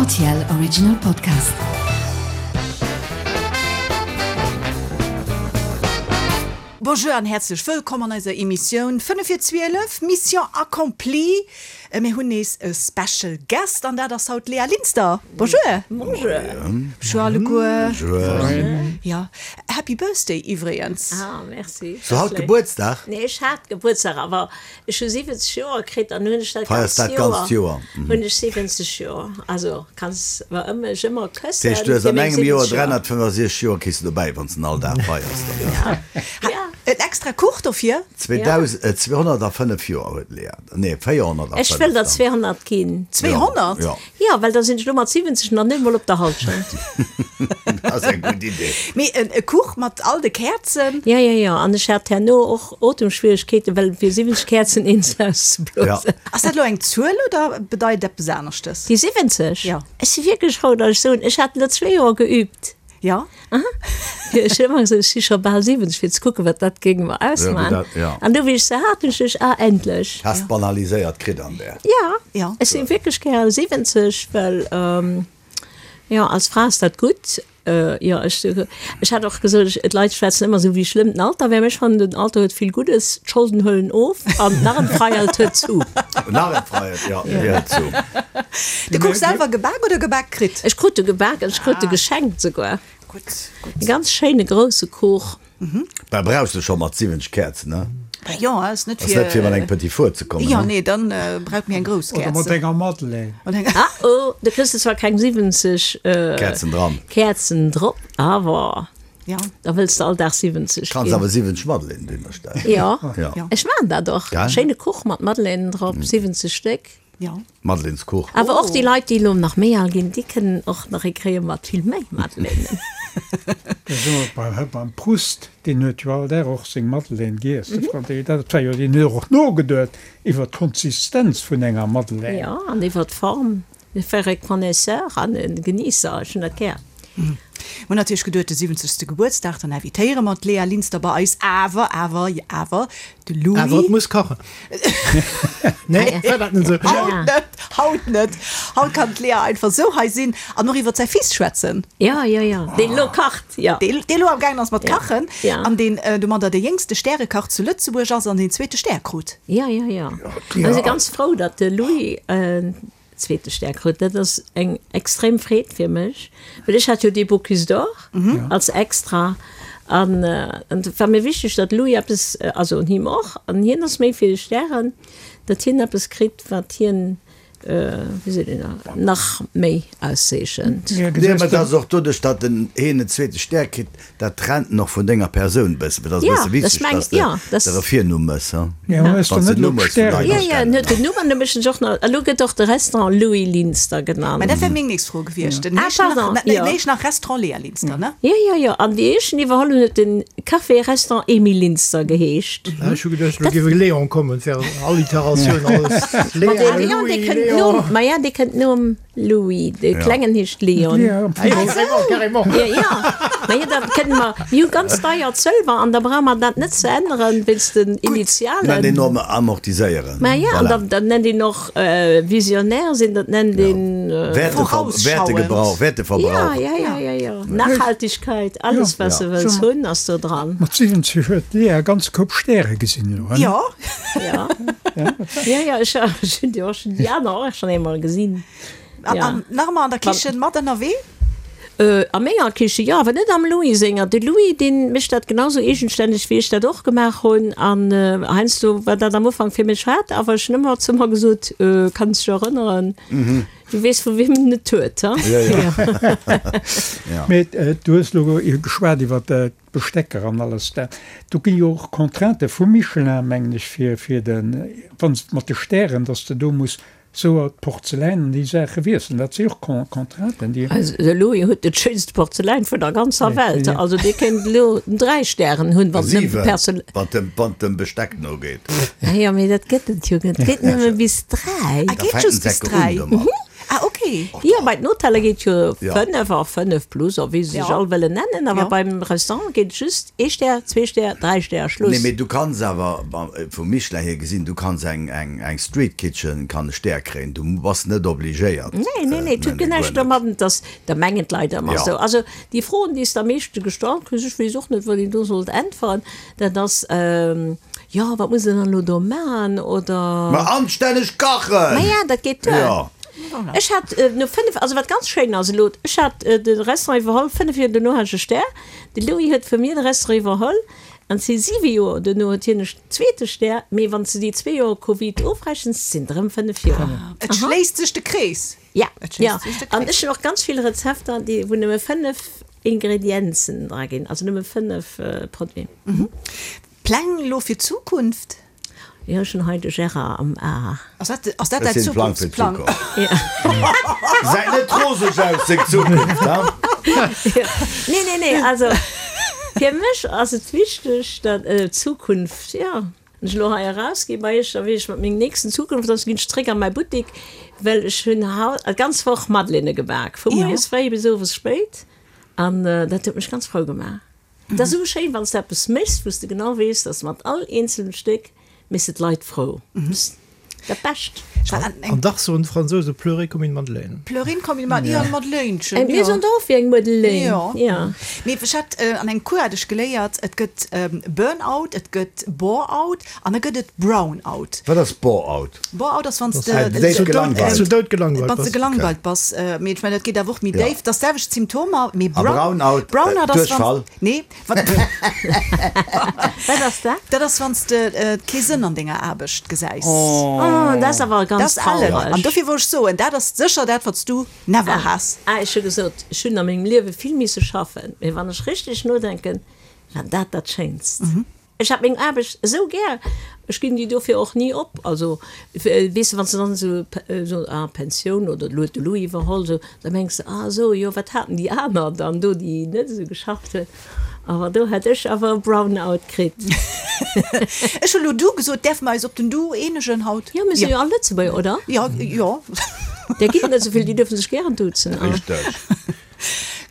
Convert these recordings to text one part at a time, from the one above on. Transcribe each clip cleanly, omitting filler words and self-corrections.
Rtl Original Podcast. Bonjour an häerzlech wëllkomm an eiser Emissioun 5 vir 12, Mission accomplie. Mir hunn nees e Special Guest an dat ass haut d'Léa Linster. Bonjour. Bonjour. Bonjour alleguer. Bonjour. Jo, Happy Birthday iwwregens. Ah, merci. Hues du haut Gebuertsdag? Nee, ech hat Gebuertsdag, awer Ech hu 70 Joer kritt an hunn ech dat Feiers dat ganzt Joer? Hunn ech 70 Joer. Also kanns mer ëmmer mech ëmmer këssen. Dat heescht du hues an engem Joer 365 Joer kriss de dobäi wann s den all Dag feiers dann. Ja. Ja. En extra Kuch dofir? 205 Joer huet d'Lea. Nee 405. Ech wëll der 200 ginn. 200? Jo. Jo, well da sinn ech elo mat 70 nach net emol op der Halschent. Dat ass eng gutt Idee. Mee e Kuch mat all de Käerzen? Jo, jo, jo. An ech hat herno och Otemschwieregkeeten, well fir 70 Käerzen eens auszeblosen. Ass dat elo eng Zuel oder bedeit eppes aneschtes? Déi 70? Jo. Ech si wierklech frou, datt ech soen, ech hat elo zwee Joer geübt. Jo. Aha. Ech hunn ëmmer gesot, ech si scho bal 70, fir ze kucken, wat dat géing mer ausmaachen. An du, wéi ech se hat, hunn ech geduecht, ah, endlech. Has banaliséiert kritt an där. Jo. Jo. Ech si wierklech gär 70, well, jo, als Fra ass dat gutt. Jo, ech, ech hat och gesot, d'Leit schwätzen ëmmer esou, wéi schlëmm den Alter wär. Mä ech fannen, den Alter huet vill Guddes, d'Scholden huelen of an d'Narrenfreiheit huet zu. D'Narrenfreiheit, jo, déi hëlt zu. De Kuch selwer gebak oder gebak kritt? Ech krut e gebak an ech krut e geschenkt souguer. Gutt, gutt. E ganz schéine grousse Kuch. Bah, brauchs de scho mat 70 Käerzen, ne? Bah jo, ass net Ass fir. net fir mat engem Petit Four ze kommen, Jo, ne? nee, dann brauch mir eng grouss Oder mat Käerzen. enger Madeleine. Oder enger. Ah oh, do kriss de zwar keng 70 Käerzen dran. Käerzen drop, awer Ja. da wëlls de all Dag 70 Kanns ginn. awer 70 Madeleinen dohinner stellen. Jo, Ja. ech maachen dat och. Gell? Schéine Kuch mat Madeleinen drop, 70 Stéck. Jo. Madelaineskuch. Awer och déi Leit, déi elo nach méi al ginn, déi kënnen och nach ee kréie mat vill méi Madeleinen. Da si mer beim, beim Proust, deen huet jo all Dag och seng Madeleine giess, de Frank, dat war jo, deen huet och nogeduet iwwer d'Konsistenz vun enger Madeleine. Jo, an iwwer d'Form. E vrai Connaisseur an e Geniesser, ech hunn dat gär. Mir hunn natierlech geduet, de 70. Gebuertsdag, dann invitéiere mer d'Léa Linster bei eis. Awer, awer, awer, de Louis. Awer et muss kachen. Nee, war dat net esou? Haut net, haut net. Haut kann d'Léa einfach esou hei sinn an och iwwer säi Fils schwätzen. Jo, jo, jo, deen elo kacht, jo. Deen elo am gaangen ass mat kachen Ja. an deen domadder de jéngste Stärekach zu Lëtzebuerg ass an deen zweete Stär krut. Jo, jo, jo. Mir si ganz frou, datt de Louis zweete Stär krut. Dat ass eng extrem Freed fir mech, well ech hat jo dee Bocuse d'Or als extra an et war mir wichteg, datt Louis eppes, also un him och, an hien ass méi fir Stären, datt hien eppes kritt, wat hien wéi seet een da, nach méi auszeechent. Nee, mä et ass och doduerch, datt en hien en zweete Stär kritt, dat trennt en och vun denger Persoun e bëssen. Et ass e bësse wichteg, datt s de der e Virnumm mëss, ha? Wann s de den Numm hues vun Leit. Jo, jo, en huet den Numm an da mécht en sech och nach, elo gëtt och de Restaurant Louis Linster genannt. Mä dat wär meng nächst Fro gewiescht. Den heescht nach, den heescht nach Restaurant Léa Linster, ne? Jo, jo, jo. An wéi ech en iwwerholl hunn, huet den Café Restaurant Emile Linster geheescht. Ech hu geduecht, elo géif e Léon kommen, fir Alliteratioun, alles. Ma de Léon, dee kënnt nom, ma ja, dee kënnt nom Louis. De Klengen heescht Léon. Carrément. Jo, jo. Ma jo, da kënne mer, mir hu ganz deiert Sëlwer an da brauche mer dat net ze änneren wéinst den Initialen. Nennt een och amortiséieren. Ma ja, an da, da nennt een och visionnaire sinn, dat nennt een. Vorausschauend. Werteverbrauch. Ja, ja, ja, ja, ja. Nachhaltigkeit, alles wat se wëlls hunn ass do dran. Mat 70 huet d'Lea e ganze Koup Stäre gesinn elo, hein? Jo. Ja. Ja, ja, ech hunn déi och schonn, déi aner och schonn eemol gesinn. An nach ëmmer an der Kichen mat ënnerwee? A menger Kiche jo, awer net am Louis senger. De Louis, dee mécht dat genau sou eegenstänneg, wéi ech dat och gemaach hunn. An heiansdo war dat am Ufank fir mech haart, awer ech hunn ëmmer zu mer gesot, Kanns dech erënneren, du weess vu wiem en et huet, ha? Mee du hues elo geschwat iwwer d'Bestecker an alles dat. Do gi jo och Contraintë vu Michelin, mengen ech, fir de, wann s mat de Stären, datt s de do muss Sou a d'Porzeläin an déi Saache wiesselen, dat si och Contrainten, déi. Also de Louis huet dat schéinst Porzeläin vun der ganzer Welt. Also dee kéint elo 3 Stären hunn, wann et nëmmen Perzel. Siwen, wann et dem Besteck no geet. Ah jo, mee dat gëtt et jo net. Et geet nëmme bis 3. Ah, geet just bis 3? Ah, ok. Okay. Jo, bei den Hoteller geet jo 5 a 5 plus a wéi se sech all wëllen nennen, awer beim Restaurant geet et just ee Stär, zwee Stär, dräi Stär a Schluss. Nee, mee du kanns awer vum Michelin hier gesinn, du kanns eng eng Street Kitchen kann e Stär kréien, du bass net obligéiert. Nee, nee, nee, et huet guer näischt domadden, dass, da mengen d'Leit ëmmer esou. Also déi Froen, déi s de am meeschte gestallt kriss, ech weess och net, wat een do sollt äntweren, dat ass, Jo, wat muss een dann elo do maachen, oder? Ma anstänneg kachen! Ma ja, dat geet duer. Jo. Ech hat no 5, also wat ganz schéin ass elo, ech hat de Restaurant iwwerholl, 5 Joer dono hat ech e Stär. De Louis huet vu mir de Restaurant iwwerholl an si 7 Joer dono huet hien e zweete Stär. Mee wann s de déi zwee Joer Covid ofrechens, sinn et erëm 5 Joer. Et schléisst sech de Krees. Ja, ja. An ech hunn och ganz vill Rezepter, déi, wou nëmme 5 Ingredienzen dra ginn, also nëmme 5 Produiten. Pläng elo fir d'Zukunft? Jo, ech hunn hei de Gérard am A. Ass dat, ass dat däi Zukunftsplang? Gesäit net roseg aus, seng Zukunft, ha? Nee, nee, nee, also fir mech ass et wichteg, datt d'Zukunft, jo, wann ech elo hei erausgi bei iech, da weess ech, wat meng nächsten Zukunft ass, ginn ech zréck a mäi Buttek, well ech hunn haut d'ganz Woch Madeleine gebak, vu moies fréi bis owes spéit, an dat huet mech ganz frou gemaach. Et ass esou schéin, wann s de eppes méchs, wou s de genau weess, dass mat all eenzelnem Stéck méchs de d'Leit frou. Dat Bescht. An dach soen d'Fransouse pleurer comme une madeleine. Pleurer comme une madeleine, jo, Madeleinchen, jo. Mir soen der och wéi eng Madeleine, jo. Mee ech hat an engem Cours hat ech geléiert, et gëtt Burnout, et gëtt Bore-out an da gëtt et Brownout. Wat ass Bore-out? Bore-out ass wann s de Zu dout gelangweilt bass. Wann s de gelangweilt bass. Mee ech mengen, dat geet awer och méi déif. Dat ass d'selwecht Symptomer, mee Brown-out, Brownout ass wann, nee, wat Wat ass dat? Dat ass wann s de kee Sënn an denger Aarbecht gesäis. Oh, dat ass awer ganz trauereg. Dat ass ellen. An dofir wollt ech soen, dat ass sécher dat, wat s du never has. Ah, ech hu gesot, ech hunn a mengem Liewe vill misse schaffen, mee wann ech richteg nodenken, war dat dat Schéinst. Ech hat meng Aarbecht esou gär, ech ginn déi dofir och ni op. Also, weess de, wann s de dann esou, esou, ah, Pensioun oder elo huet de Louis iwwerholl, esou, da mengs de, ah esou, jo, wat haten déi aner dann do, déi net esou geschafft hunn. Awer do hätt ech awer e Brownout kritt. Ech hu lo du gesot, däerfe mer eis op den Du eenegen haut? Jo, mir si jo all Lëtzebuerger, oder? Jo, jo. Där ginn et net esou vill, déi duerfe sech gären duzen. Richteg.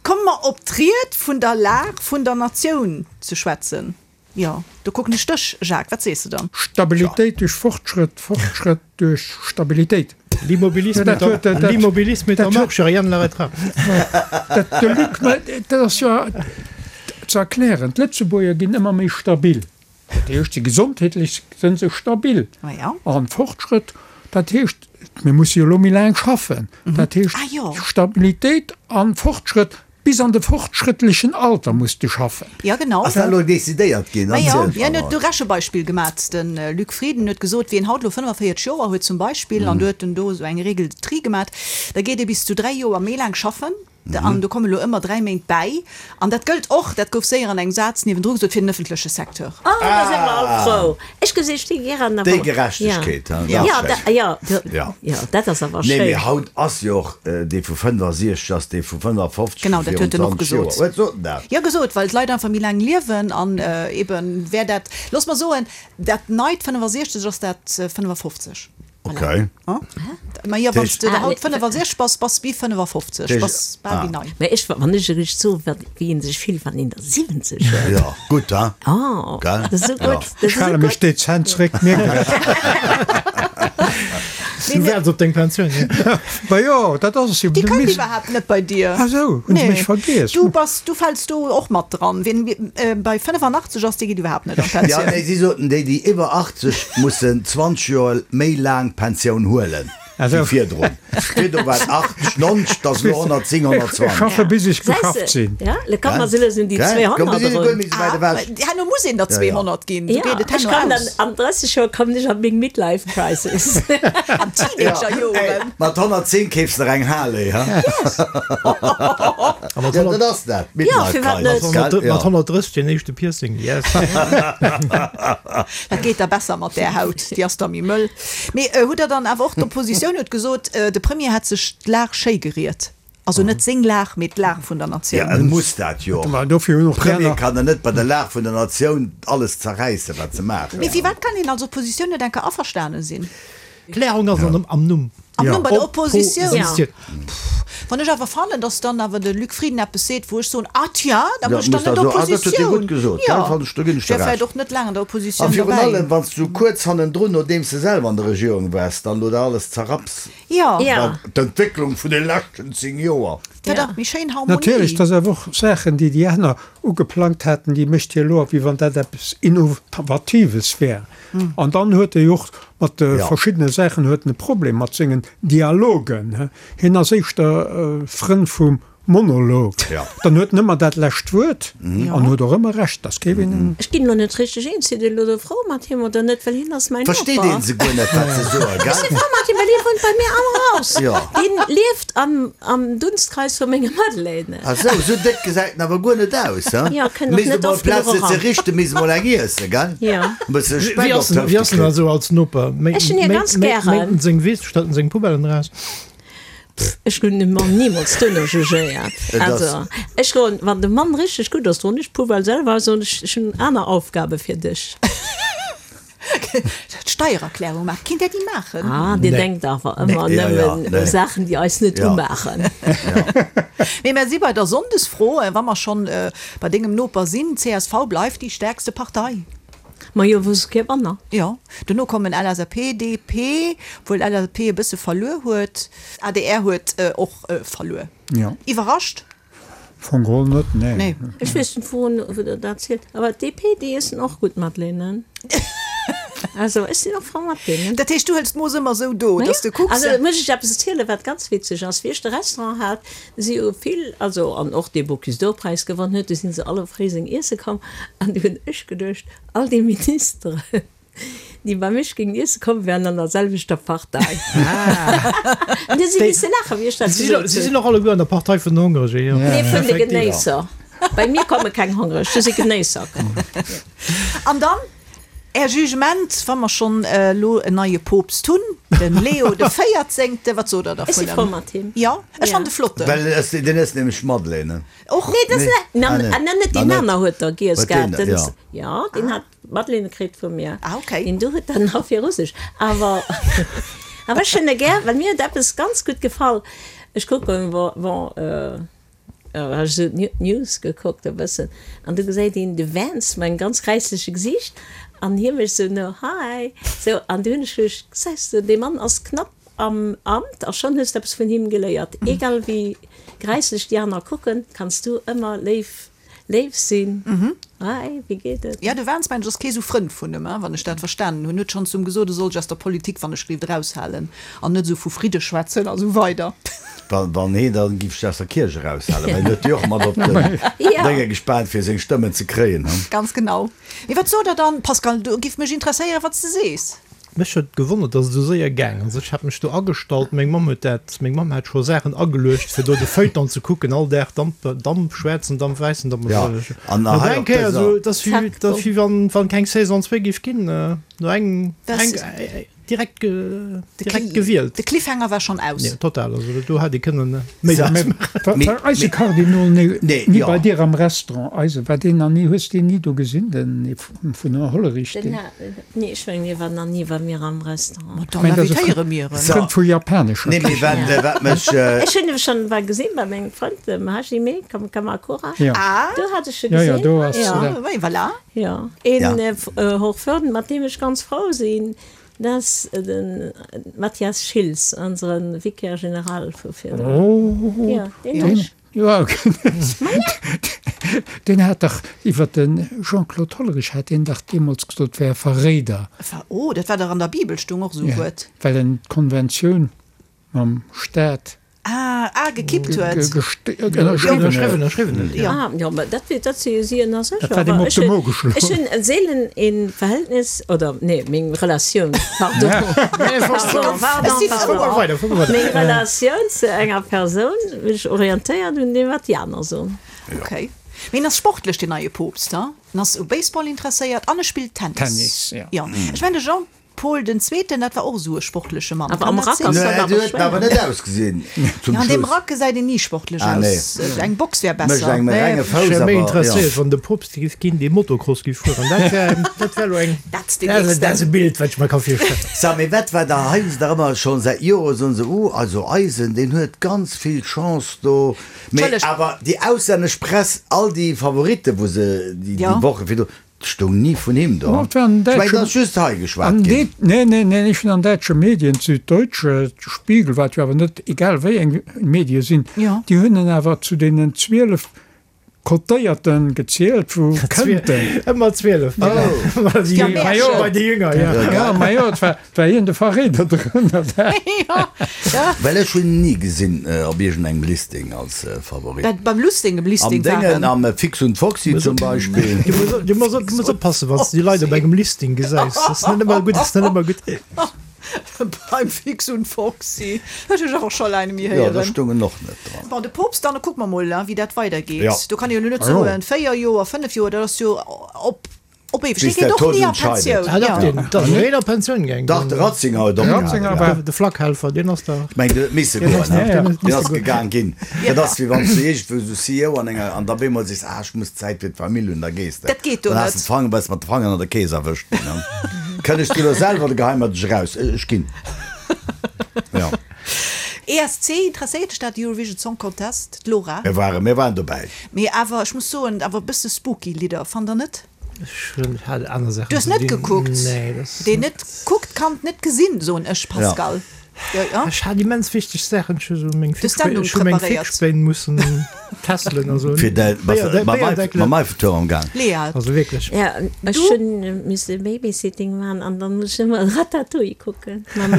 Komme mer op d'Ried vun der Lag vun der Natioun ze schwätzen. Jo, do kucken ech dech, Jacques, wat sees de dann? Stabilitéit duerch Fortschrëtt, Fortschrëtt duerch Stabilitéit. L'immobilisme est en marche, rien ne l'arrêtera. De Luc, mä dat ass jo ze erklären, d'Lëtzebuerger ginn ëmmer méi stabil. Dat heescht, si gesondheetlech sinn se stabil. An Fortschrëtt, dat heescht, mir musse jo elo méi laang schaffen. Dat heescht, Stabilitéit an Fortschrëtt, bis an de fortschrëttlechen Alter muss de schaffen. Jo, genau. Ass dat elo decidéiert ginn? Ma jo, hien huet do Rechebeispill gemat. De Luc Frieden huet gesot, wien haut elo 45 Joer huet zum Beispill, an do huet en do esou eng Règle de tri gemat, da geet e bis zu 3 Joer méi laang schaffen. An do komme lo ëmmer 3 Méint bäi. An dat gëllt och, dat gouf séier an engem Saz niewendru gesot, fir den ëffentleche Secteur. Oh, da si mer all frou. Ech gesi sti gären awer. Déi Gerechtegkeet, hein, dat ass schéin. Jo, jo, jo, dat ass awer schéin. Nee, mee haut ass jo och dee vu 65 ass dee vu 55 Genau, vu dat huet virun en och 20 Joer. gesot. Huet sot en dat? Jo, gesot, well d'Leit einfach méi laang liewen an eben wär dat, looss mer soen, dat neit 65 ass dat 55. Okay. Ma jo, wann s de haut 65 bass, bass wéi 55, bass bal wéi nei. Mä ech, wann ech eréischt soen, wat, wéi een sech fillt, wann een der 70 huet. Jo, gutt, ha? Oh, Gell? dat ass esou gutt. Dat Ech ass esou hale mech gutt. dezent zréck, mierkt Der et. Du waarts op deng Pensioun, jo? Ma jo, dat ass es jo. Déi kënnt iwwerhaapt net bei dir. Ah sou, hunn se mech vergiess? Du bass, du fäls do och mat dran. Wien bei 85 ass, dee geet iwwerhaapt net an Ja, d'Pensioun. nee, si soten, déi, déi iwwer 80 mussen 20 Joer méi laang Pensioun huelen wéi virdrun. Virdru war et 80, 90, et ass elo 110, 120. Ech schaffe bis ech geschafft sinn. Ja, lo komme mer sou lues un déi 200 erun. Ah, herno muss een der 200 ginn, sou geet et Ech herno kommen dann aus. an 30 Joer kommen ech an meng Midlife Crisis. An Teenagerjoren. Mat 110 keefs de der eng Harley, ha? A mat Ja, dat ass dat, Ja, firwat net? Midlife Crisis, gell? Mat 130 deen éischte Piercing, yes. Dat geet da besser mat där Haut, déi ass da méi mëll. Mee hutt Der dann awer och, d'Oppositioun huet gesot, de Premier hätt sech d'Lag schéi geriet. Also net seng Lag, mee d'Lag vun der Natioun. Ja, e muss dat jo och. Dofir hunn och déi Premier aner. kann der net bei der Lag vun der Natioun alles zerräissen, wat se maachen. Mee firwat kann een als Oppositioun net enker averstane sinn? D'Klärung ass am Numm. Am Numm bei der Oppositioun. Wann ech awer fannen, datt dann awer de Luc Frieden eppes seet, wou ech soen, ah tiens, da mécht dann net Oppositioun. Jo, ech wär vläicht och net laang an der Oppositioun A virun derbäi. allem, wann s du kuerz hannendrun, nodeems de selwer an der Regierung waars, dann elo dat alles zerrapps. Jo. Wat d'Entwécklung vun de leschten 10 Joer. Dat ass méi schéin Harmonie. Natierlech, dat ass awer och Saachen, déi déi aner ugeplangt haten, déi mécht hie elo, wéi wann dat eppes Innovatives wär. An dann huet e jo och mat de verschiddene Saachen huet en e Problem mat sengen Dialogen. Hien ass éischter Frënn vum Monolog. Dann huet en ëmmer dat lescht Wuert an huet och ëmmer Recht. Dass géif een. Ech ginn elo net richteg eens, sidd Dir elo do frou mat him oder net, well hien ass mäin Noper. Versteet een se guer net, wat se soen, gell? Ech si frou mat him, well hie wunnt bei mir am Haus. Deen lieft am Dunstkreis vu menge Madeleine. Ah sou, sou déck gesäit en awer guer net aus, he? Jo, kënnt och Misst net emol oft Plaz genuch fir ze eran. richten, misst emol eng iessen, gell? Jo. E bësse Speck Wéi op ass en, d'Hëfte wéi ass en kritt. also als Noper? Méi, Ech hunn hie méi, ganz méi, gären. méint en seng Wiss, stellt en seng Poubellen eraus? Pff, ech hunn de Mann nimools duerno jugéiert. Et ass. Also, ech droen, wann de Mann richteg gutt ass, droen ech d'Poubelle selwer aus, soen ech, ech hunn aner Aufgabe fir dech. D'Steiererklärung maachen, kinnt där déi maachen? Ah, Dir denkt awer ëmmer nëmmen u Saachen, déi eis net umaachen. Mee mer si bei der Sonndesfro, wa mer schonn bei dengem Noper sinn, csv bleift déi stäerkste Partei. Majo, wou ass kee Wonner. Jo, dono kommen LSAP, DP, obwuel LSAP e bësse verluer huet. Adr huet och verluer. Iwwerrascht? Fong geholl net, nee. Nee. Ech weess net wourun wou der dat zielt, awer d'DP déi iessen och gutt Madeleinen. Also ech sinn och frou mat deenen. Dat heescht du hëls d'Mooss ëmmer esou do, Majo, dass de kucks. also muss ech eppes erzielen wat ganz witzeg ass. Wéi ech de Restaurant hat, si jo vill, also an och dee Bocuse d'Or Präis gewonn huet, du sinn se all op Fréiseng iesse komm an du hunn ech geduecht, all déi Ministeren, Déi bei mech géingen iesse kommen, wären an der selwechter Partei. An déi si misse laachen, wéi ech dat gesot hunn. Si sinn och alleguer an der Partei vun den Hongeregen, jo. Nee, vun de Genéisser. Bei mir komme keng Hongereg, do si Genéisser komm. An dann Är Jugement, wa mer schonn elo en neie Poopst hunn, de Leo de Véierzéngte, wat sot Der Ech si dervun? frou mat him. Jo, ech fannen de flotten. Well deen ësst nämlech Madeleine. Och? Nee, dat ass net, nan, net deen aner huet der giess gehat. Jo. Jo, deen hat. Madeleine kritt vu mir. Ah, okay. Deen do huet dann nach fir Russesch. Awer, awer ech hunn e gär, well mir huet eppes ganz gutt gefall. Ech kucken, bon, bon, ech esou d'News gekuckt e bëssen, an du gesäit een de Vance mat engem ganz gräissleche Gesiicht, an hie mécht esou no, Hi, sou, an du hunn ech geduecht, gesäis de, dee Mann ass knapp am Amt a schonn hues de eppes vun him geléiert. Egal wéi gräisslech déi aner kucken, kanns du ëmmer léif Léif sinn. Hi, wéi geet et? Ja, de Vance mengen ech ass kee sou Frënd vun em, wann ech dat verstanen hunn. Huet schonn zum gesot, e soll sech aus der Politik wann ech gelift eraushalen an net esou vu Fridde schwätzen a sou weider. Wann heen dann giff sech aus der Kierch eraushalen, well hien huet jo och mat op den Dénge gespaant fir seng Stëmmen ze kréien. Ganz genau. Mee wat sot der dann, Pascal? Do giff mech interesséieren, wat s de sees. Mech huet gewonnert, dass et esou séier gaang ass. Ech hat mech do agestallt, meng Mamm huet dat, meng Mamm hat scho Saachen ageluecht, fir do de Feuilleton ze kucken, all Dag Damp, Damp, schwaarzen Damp, wäissen Damp. Ja, an No hei eng op Kéier dëser. esou, et ass wéi, et ass wéi wann, wann keng Saison zwéi géif ginn, no engem, eng, direkt, direkt gewielt. De Cliffhanger war schonn aus. Jo, total, also do hätt ee kënnen méi draus maachen. War eise Kardinol ni bei dir am Restaurant? Eise, war deen nach ni, hues deen ni do gesinn, den vun Hollerich? Den, Nee, ech mengen, hie war nach ni bei mir am Restaurant. Ma dann invitéiere mir en. Frënd vu japanescher Nee, mee wat, wat mech. Ech hunn e schonn bal gesinn bei mengem Frënd, dem Hajime Kamakura. Ja. Do hat ech e Ja, ja, gesinn. do ass Ja. dat. Oui, voilà. Ja. Een Hochwürden, mat deem ech ganz frou sinn, dat ass de Mathias Schiltz, onsere Vicaire général vu virdrun. Oh, Ja, deen hunn ech. Jo, deen hat dach iwwer de Jean-Claude Hollerich hat deen dach deemools gesot, wär e Verréider. Oh, dat war dach an der Bibel stung och esou e Wuert. Well en d'Konventioun mam Staat. Ah, ah, gekippt huet. Ënnerschriwwen huet. Ah, jo, mä dat, dat si si ënner sech. Dat war deem op de Mo geschloen. Ech hunn seelen e Verhältnis, oder nee, meng Relatioun, pardon, pardon, pardon, pardon, meng Relatioun zu enger Persoun mech orientéiert un deem, wat déi aner soen. Ok. Mee en ass sportlech, deen neie Poopst, ha? En ass u Baseball interesséiert an e spillt Tennis. Tennis, jo. Jo. Ech mengen, de Jean. Paul den Zweeten, dat war och esou e sportleche Mann. Awer am Kann dat Rack sinn? ass dat Nee, awer déi huet awer schwéier. net ausgesinn zum Ja, an deem Schluss. Rack gesäit een ni sportlech Ah, nee. aus. Eng Box wär Mécht besser. engem e renge Ech Fouss, wär méi awer jo. interesséiert, wann de Poopst géif ginn, dee Motocross géif fueren. Dat wär, dat wär elo eng, Dat ass deen dat ass nächsten. e Bild, wat ech mer ka virstellen. Sa, mee wat war da hei? Hu se dach ëmmer schonn säit Jore soen se, uh, also eisen, deen huet ganz vill Chance do. Mee Entschëllegt. awer déi auslännesch Press, all déi Favoritten, wou se déi Ja. Woche virdru, 't stoung ni vun him do. Oh, et war an Ech mengen, et däitsche, ass just hei geschwat an ginn. nee, nee, nee, ech hunn an däitsche Medien, d'Süddeutsche, de Spiegel, wat jo awer net egal wéi eng Medie sinn, Jo. déi hunn en awer zu deenen 12 Cotéierten gezielt, wou kënnten. Ëmmer 12, Oh. bei de Ja, Jünger, Märchen. bei de Jünger, ja. Ja, ma jo, et war, et war hien de Verréider drënner. Ja, ja. Well ech hunn en ni gesinn op iergendengem Listing als Favorit. Dat beim Lusting, um Am Listing Déngen, waren. am Fix und Foxi zum Beispill. Du muss, du muss, du muss oppassen, wann s du déi Leit op engem Listing gesäis. Dat ass net ëmmer gutt, ass net ëmmer gutt. Beim Fix und Foxi. Dat hu ech awer scho laang nemme Jo, do héieren. stoung en och net dran. Bon, de Poopst, dann kucke mer mol, wéi dat weidergeet. Ja. Do kann ee jo elo net Ah jo. soen, 4 Joer, 5 Joer, dat ass jo op Op éiweg, Bis dee geet der och Tod ni a entscheidet. Pensioun. Ah, dach, Ja. deen, dat ass een a Pensioun gaang. Dach, de Ratzinger huet De opgehalen, Ratzinger ja. war. De Flakhelfer, deen ass da. Ech mengen, deen huet misse Deen goen, ass, ne? deen huet Deen misse ass goen. gegaang ginn. Dat ass, wéi wann s du iergendwou esou CEO an enger, an da op eemol sees, ah, ech muss Zäit fir d'Famill hunn, da gees de. Dat geet do Dann has net. de d'Fanger, bass mat de Fanger an der Kees erwëscht ginn, ne? Kënnegst du elo selwer de Geheim mat dech eraus? Ech ginn. Ja. ESC, interesséiert dech dat, Eurovision Song Contest, d'Laura? Mir waren, mir waren dobäi. Mee awer, ech muss soen, awer e bësse spooky Lidder, fannt der net? Ech hunn hat aner Saachen Du hues ze net dinn. gekuckt? Nee, dat ass Deen net. net kuckt, kann et net gesinn, soen ech, Pascal. Ja, ja. Ech hat immens wichteg Saachen. Ech hu sou meng Du hues d'Sendung Fixspéin, ech hu meng preparéiert. Fixspéin mussen tesselen a sou. Fir däi, bass de mam Eiffel, mam Eiffeltuerm am Gaang? Léa. Also wierklech. Ja, ech hunn misse Babysitting maachen an dann muss ech ëmmer Ratatouille kucken mam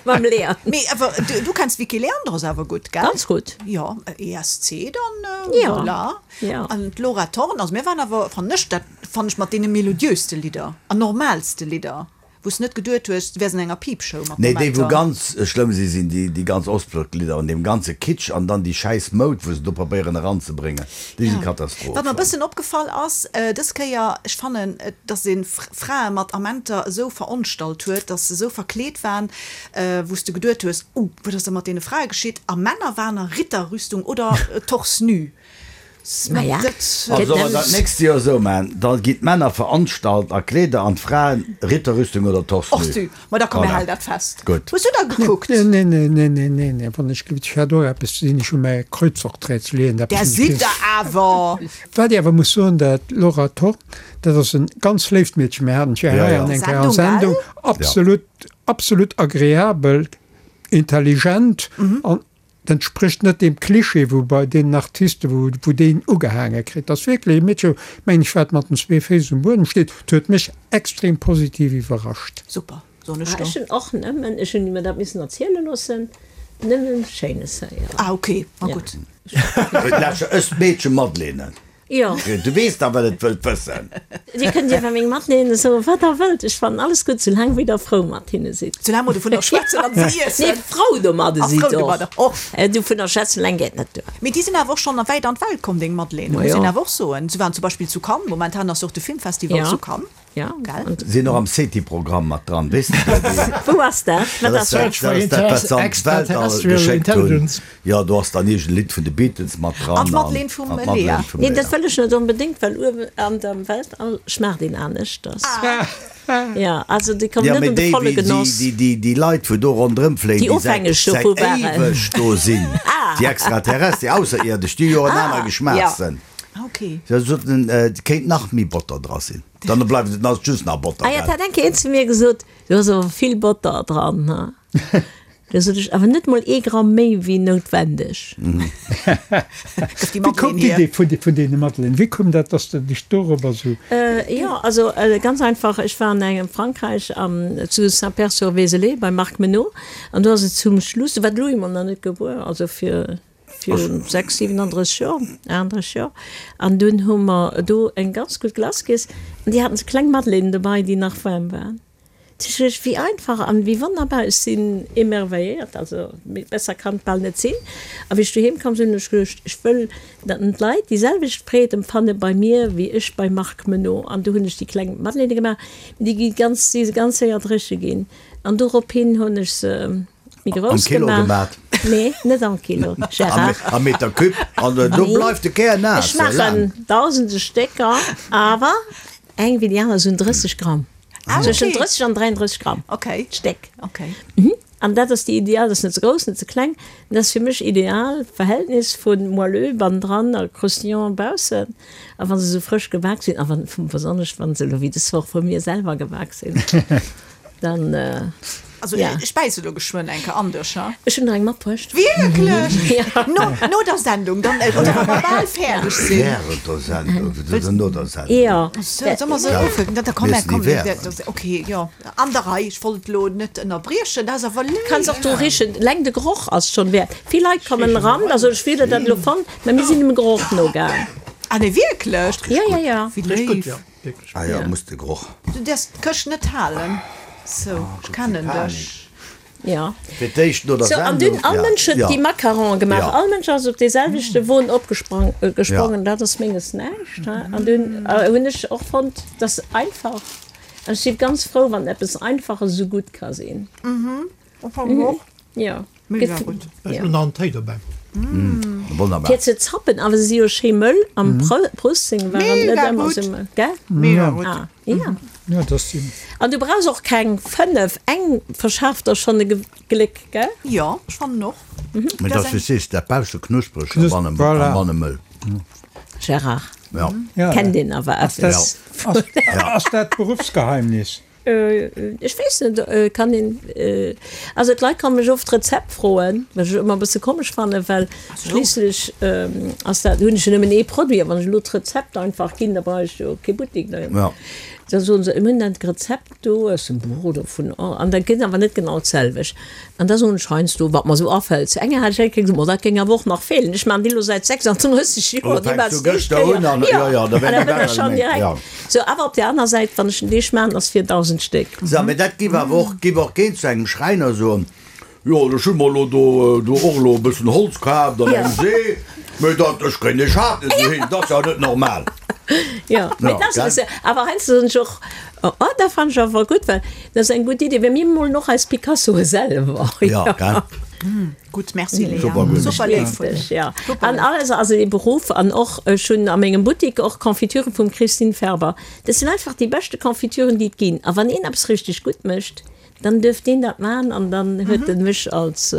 mam Léa. Mee awer du, du kenns d'Vicky Leandros awer gutt, gell? Ganz gutt. Jo, ESC dann, Ja. voilà. Ja. An d'Laura Thorn, also mir waren awer, fannen ech, dat fannen ech mat deene melodiöste Lidder an normaalste Lidder, wou s net geduet hues, du wäers an enger Peepshow mat Nee, déi wou Momenter. ganz schlëmm si sinn déi déi ganz Ostblock-Lidder an deem ganze Kitsch an dann déi schäiss Moud wou se do probéieren eranzebréngen, déi si Ja. Katastroph. Wat mer e bëssen opgefall ass dës Kéier, ech fannen, dass ee Frae mat Amenter esou veronstalt huet, dass se esou verkleet waren, wou s de geduet hues, Uh, wat ass da mat deene Frae geschitt? A Männer waren a Ritterrüstung oder torse nu. Naja, Also solle mer dat nächst Joer esou maachen, da ginn d'Männer veranstalt a Kleeder an d'Fraen Ritterrüstung oder Torse Och nu. du, ma da komm mir Voilà. halen dat fest. Gutt. Hues du da gekuckt? Nee, nee, nee, nee, nee, nee, nee, wann ech gelift, ech hat och eppes ze dinn, ech hu mäi Kreuzworträtsel leeën, Där eppes sidd der awer! Wat ech awer muss soen, dat Laura Thorn, dat ass en ganz léift Meedchen, mir haten d'jo Ja, hei ja. an eng Kéier an Sendung, Sendung, gell? absolut, absolut agreabel, intelligent an Dat entsprécht net deem Klischee, wou bei deenen Artisten, wou, wou deen ugehaange kritt. Dat ass wierklech e Meedche, mengen ech, wat mat den zwee Féiss um Buedem steet. Dat huet mech extrem positiv iwwerrascht. Super, soen ech Ah, do. ech hunn och nëmmen, ech hunn mir dat missen erziele loossen, nëmmen Schéines héieren. Ah, ok, ma Ja. gutt. Lauschter, ech d'Meedche Madeleine. Jo. Du weess dach, wat et wëllt wëssen. Dir kënnt iwwer meng Madeleine soen, wat der wëllt. Ech fannen alles gutt, soulaang wéi der frou mat hinne sidd. Soulaang mer dovunner schwätzen an se iessen. Nee, frou domadde A sidd frou och. domadder och. Dovunner schwätzen eleng geet net duer. Mee déi sinn awer och schonn wäit an d'Welt komm, deng Madeleine, muss Majo. een awer och soen. Se waren zum Beispill zu Cannes, momentan ass jo och de Filmfestival Ja. zu Cannes. Ja, Gell? an Sinn och am SETI-Programm mat dran, weess de dat? wou ass dat? Wat Dat ass ass dat? dat, dat, dat, wat se an d'Weltall Extraterrestrial geschéckt hunn. Intelligence. Jo, do ass dann iergend e Lidd vun de Beatles mat dran. An d'Madeleine vum an Lea. d'Madeleine vum Nee, Lea. dat wëll ech net onbedéngt, well uewen an dem Weltall schmaacht een aneschters. Ja, also déi kommen Ja, net mee an de déi, volle déi, déi, Genoss. déi, déi, déi Leit, wou do ronderëm fléien, Déi déi säit, ofhängeg säit dovu waren. éiweg do sinn, Ah. déi Extraterrestre, déi Ausserierdesch, déi hu jo en aner Ah, Geschmaachssënn. Ah, okay. Se soten, et kéint nach méi Botter dra sinn. Dann bleift et, dann ass et just nach Botter, Ah ja, gell? et hat eng Kéier een zu mir gesot, do ass awer vill Botter dran, ha? Da sot ech, awer net mol ee Gramm méi wéi noutwendeg. Gëff déi Wéi koum Madeleine hier. d'Idee vun, vun deene Madeleinen? Wéi koum dat, dass de dech dorobber sou. Jo, also ganz einfach, ech war an engem Frankräich am, zu Saint-Pair-sur-Vézelay beim Marc Meneau an do ass et zum Schluss, do war de Louis mol nach net gebuer, also fir Virun 6, 37 Joer, 38 Joer. An dunn hu mer do eng ganz gutt Glace giess. An déi haten sou kleng Madeleinen dobei, déi nach waarm waren. Ech, wéi einfach an wéi wonnerbar, ech sinn émerveilléiert, also besser kann et bal net sinn. A wéi ech doheem komm sinn, hunn ech geduecht, ech wëll, datt d'Leit déi selwecht Freed empfanne bei mir, wéi ech beim Marc Menot. An du hunn ech déi kleng Madeleine gemaach, mee déi gi ganz, si ganz séier dréche ginn. An dorophin hunn ech se méi grouss Am Kilo gemaach. gemat? Nee, net am Kilo, Gérard. Am Meter Cube? An do bleift de Kär naass. Ech maachen dausende Stécker, awer Eng wéi déi aner, esou 30 Gramm. Ah, okay. Zwëschen 30 an 33 Gramm. Okay. D'Stéck. Okay. Mhm. An dat ass déi ideal, dat ass net ze grouss, net ze kleng. Dat ass fir mech ideal Verhältnis vu moelleux bannendran a croustillant baussen. A wa se esou frësch gebak sinn, a wann, besonnesch wa se elo wéi dës Woch vu mir selwer gebak sinn, dann. Also ja. ech bäisse lo geschwënn eng Kéier an dech, ha? Ech hunn der eng matbruecht. Wierklech? Ja. No, no der Sendung, dann, äh, oder wa mer bal fäerdeg sinn. Während der Sendung, oder no der Sendung? Ja. So, soll mer se ufänken? Da, da komm, Mir komm, sinn déi während. Okay, jo, an der Rei. Ech wollt elo net ënnerbriechen, dat ass awer léif. Kanns och dru richen, eleng de Geroch ass schonn wäert. Vill Leit kommen eran, da soen ech, wéi hutt der dat elo fonnt? Mä mir sinn dem Geroch nogaang. Ah nee, wierklech? Ja, ja, ja. Wéi léif. Ah jo, muss de Geroch. Du däerfs d'Këscht net halen. Sou, ech kennen dech. Jo. Fir d'éischt no der Sou, an Sendung. dunn, all Mënsch huet déi Macarone gemaach. All Mënsch ass op dee selwechte Won opgesprang, gesprongen. Dat ass menges näischt, he. An dunn hunn ech och fonnt, dat ass einfach. An ech si ganz frou, wann eppes Einfaches esou gutt ka sinn. Ech fannen och. Jo. Mega gutt. Ech hunn nach en Téi dobäi. Wonnerbar. Fir ze zappen, awer se si jo schéi mëll. Am Prössing waren net Mega ëmmer gutt. sou mëll, gell? Mega gutt. Ah, ja. Ja, dat sinn. An du brauchs och keng 5, eng verschaaft der schonn e Gléck, gell? Jo, ech fannen och. Mee dat ass, wéi s sees, dat bausse knuspreg a banne Voilà. banne mëll. Gérard, Ja. Ja. kennt een awer eppes. Ass, ass dat d'Beruffsgeheimnis? Ech weess net, kann een, also d'Leit komme mech oft d'Rezept froen, wat ech ëmmer e bësse komesch fannen, well schliisslech ass dat, hunn ech jo nëmmen ee Produit a wann ech elo d'Rezept einfach ginn, da brauch ech jo kee Buttek méi. Da soen se, mir hunn dat Rezept do aus dem Buch oder vun, an dat gëtt awer net genau d'selwecht. An da soen ech heiansdo, wat mer esou afält, zu enger hat ech eng Kéier gesot, ma dat géing awer och nach feelen. Ech maachen déi elo säit 36 Joer, déi maachen se éischt Kéier. Jo, an da wëll ech schonn direkt. Sou, awer op där aner Säit, wann ech den Deeg maachen, ass fir 1.000 Stéck. Sou, mee dat giff awer och, giff och keen zu engem Schräiner soen, jo, ech hu mer elo do, do och elo e bëssen Holz kaaft an eng See, mee dat, ech kréien dee Schaf net dohin, dat ass jo net normal. Jo, mee dat ass, awer heiansdo soen ech och, Oh, oh, dat fannen ech awer gutt, well dat ass eng gutt Idee, well mir molen och eis Picassoe selwer. Ja, gell? Gutt, merci Léa. Super gutt. Super léif vun dir. Ja, an alles, also dee Beruff an och, ech hunn a mengem Buttik och Confiture vum Christine Ferber. Dat sinn einfach déi beschte Confituren, déi et ginn. A wann een eppes richteg gutt mécht, dann duerf deen dat maachen an dann huet en mech als,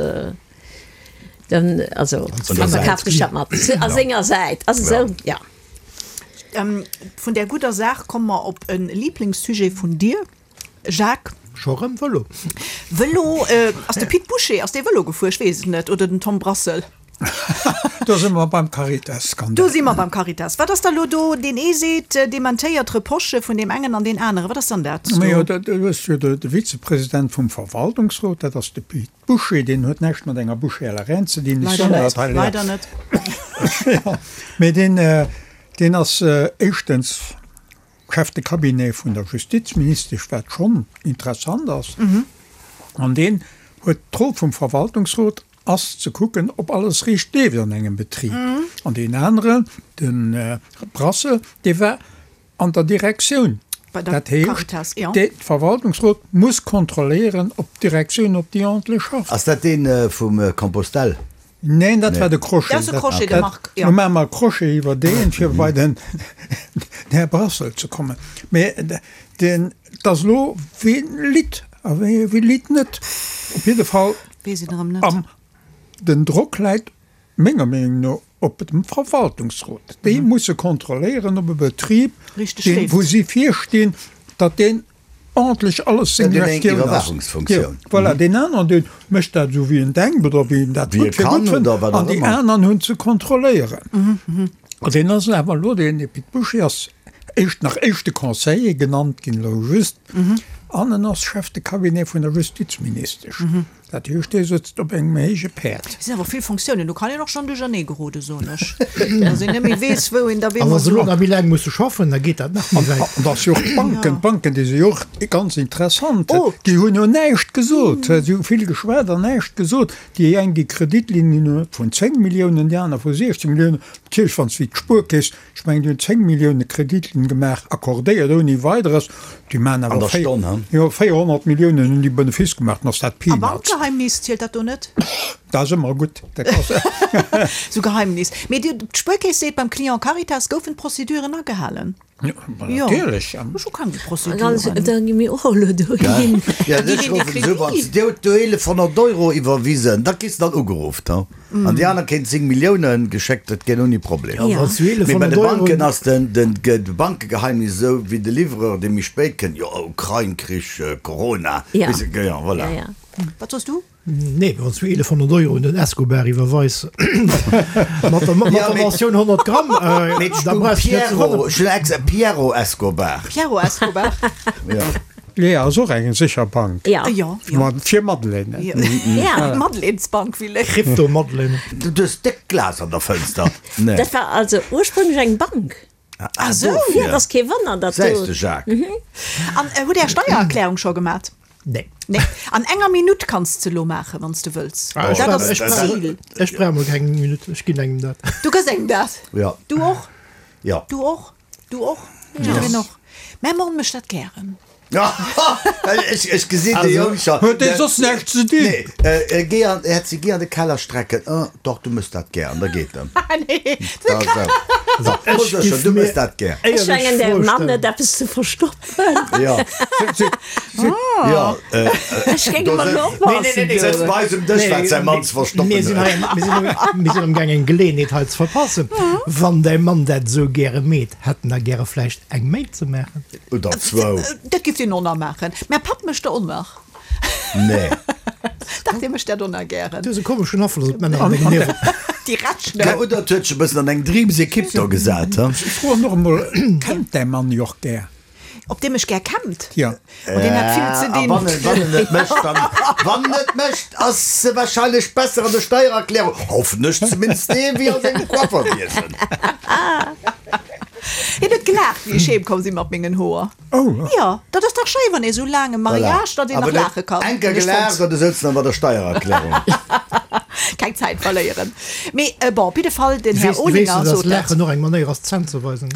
dann, also, da verkafen ech dat mat a senger Säit. Ass esou, ja. Vun där gudder Saach komme mer op e Liblingssujet vun dir, Jacques. Scho rëm Vëlo? Vëlo, ass de Pit Bouché, ass dee Vëlo gefuer? Ech weess et net. Oder den Tom Brassel? Do si mer beim Caritas-Skandal. Do si mer beim Caritas. Wat ass da lo do? Deen ee seet, dementéiert Reprochë vun deem engen an deen aneren. Wat ass dann dat do? Majo, do hues du jo de Vizepresident vum Verwaltungsrot, dat ass de Pit Bouché, deen huet näischt mat enger Bouchée à la reine ze dinn, ech soen dat hei Leider net. Jo, mee deen, deen ass éischtens Chef de cabinet vun der Justizministesch, wat schonn interessant ass, an deen huet d'Roll vum Verwaltungsrot ass ze kucken, ob alles riicht leeft an engem Betrib. An deen aneren, de Brassel, dee war An der Direktioun. Bei der Dat heescht, Caritas, jo. de Verwaltungsrot muss kontrolléieren, ob d'Direktioun, ob déi ordentlech schafft. Ass dat dee vum Compostelle? Neen, dat war de Crochet. Dat ass de Crochet, de Marc, jo. Lo maache mer e Crochet iwwer deen, fir bei den Här Brassel ze kommen. Mee deen, et ass elo, wien litt a wie litt net. Op jidde Fall, Weess een erëm net. am, den Drock läit menger Meenung no, op dem Verwaltungsrot. Déi musse kontrolléieren, ob e Betrib, deen, wou si virstinn, datt deen ordentlech alles seng Gestioun ass. Jo, voilà, deen aneren, dee mécht dat esou, wéi en denkt oder wéi en dat gutt fir gutt fënnt, an déi aneren hunn ze kontrolléieren. An deen ass awer elo, deen Pit Bouché ass éischt nach éischte Conseiller genannt ginn, elo just, an en ass Chef de cabinet vun der Justizministesch. Dat heescht, dee sëtzt op engem héije Päerd. Et sinn awer vill Fonctiounen, do kann een och schonn duerchernee geroden, soen ech, dass een net méi weess, wou een da A wa se elo nach méi laang musse schaffen, da geet dat nach méi wäit. An dass jo och d'Banken, d'Banken, déi si jo och ganz interessant, déi hunn jo näischt gesot, si hu vill geschwat an näischt gesot. Déi eng, déi Kreditlinien hunn vun 10 Milliounen, déi aner vu 16 Milliounen. Natierlech, wann s de wéi d'Spuerkeess, Ech mengen, déi hunn 10 Millioune Kreditlinn gemaach, accordéiert ouni Weideres. Déi maachen An awer der Stonn, he? jo, 400 Milliounen hunn déi Benefice gemaach, dann ass dat A Peanuts. Bankgeheimnis, zielt dat do net? Dat ass ëmmer gutt, dat ass. Sou Geheimnis. Mee Dir, d'Spuerkeess seet, beim Client Caritas goufen d'Prozeduren agehalen. Jo, ma natierlech. Ech hu keng Prozeduren. Da gi mir och elo dohin. Ja, ech ruffen esou, wann s de do 1100 Euro iwwerwisen, da kriss de dann ugeruff, he? An déi aner kéint 10 Milliounen geschéckt, dat gär ouni Problem. Ja, wann s du Mee bei 1100 de Euro. Banken ass den, den, de Bankegeheimnis esou wéi de Livreur, dee méi spéit kënnt, jo, Ukrain-Krich, Corona, Ja. weess de, jo, voilà. Ja, ja. Wat soss du? Nee, wann s du 1100 Euro un den Escobar iwwerweis mat der, mat Ja, der mee- Mentioun 100 Gramm, äh, Mee da brauchs du net ze Piero, wonneren. ech hunn extra Piero Escobar. Piero Escobar. Ja. Lea ass och eng sécher Bank. Ja. Jo, jo. Ma fir Madeleine. Ja. Madeleines-Bank, Willy. Crypto-Madeleine. Du hues déck Glas an der Fënster. Nee. Dat war also ursprünglech eng Bank. Ah, sou. Ja, et ass kee Wonner, datt Säis do. de Jacques. An hutt Är Steiererklärung scho gemat? Nee. Nee. An enger Minutt kanns de elo maachen, wann s de wëlls. Ah, ech Dat brauch, ass ech brauch, d'Zil. ech brauch mol keng Minutt, ech ginn engem dat. Du gëss engem dat? Ja. Du och? Ja. Du och? Du och? Jiddwereen och? Mä Mann mécht dat gären. Ech, ech gesinn de Jong scho. Huet dee soss näischt ze dinn? Nee, géi an, Herzi, géi an de Keller strecken. Oh, doch, du mëss dat gär. An da geet en. Nee. Da sou. Ech Sécher, giff du mir mëss dat gär. Ech éierlech mengen, der Fro Mann huet stellen. eppes ze verstoppen. Ja. Ja, Ech géing do emol sëtzt, oppassen. Nee, nee, nee, sëtzt bei eis um Dësch, wat säi Mann ze verstoppen Mir sinn hei, huet. mir sinn, mir sinn am Gaang eng Geleeënheet hei ze verpassen. Wann däi Mann dat esou gäre meet, hätt en da gäre vläicht eng méi ze maachen? Oder zwou. Dat giff deen och nach maachen. Mä Papp mécht der och nach. Nee. Dach, dee mécht dat och nach gären. Du hues e komeschen Afloss op d'Männer an dengem Liewen. Déi Retschner. Ja, oder et huet sech e bëssen an eng Dreams-Equipe do gesat, he? Ech froen och emol, Kennt däi Mann jo och gär? Op dee mech gär kämmt? Jo. Oh, deen hat vill ze A dinn. wann en, wann en et mécht, dann, wann en et mécht, ass e wahrscheinlech besser an der Steiererklärung, hoffen ech zumindest, nee, wéi a sengem Coifferwiesen. Hien huet gelaacht, wéi ech heem komm sinn mat mengen Hoer. Oh. Jo, dat ass dach schéi, wann ee sou laang e Mariage, datt een nach laache kann. Eng Kéier gelaacht an du souz nach bei der Steiererklärung. Keng Zäit verléieren. Mee bon, op jidde Fall, den Här Weess, weess Olinger du, dass sot dat. Laachen och eng Manéier ass, d'Zänn ze weisen?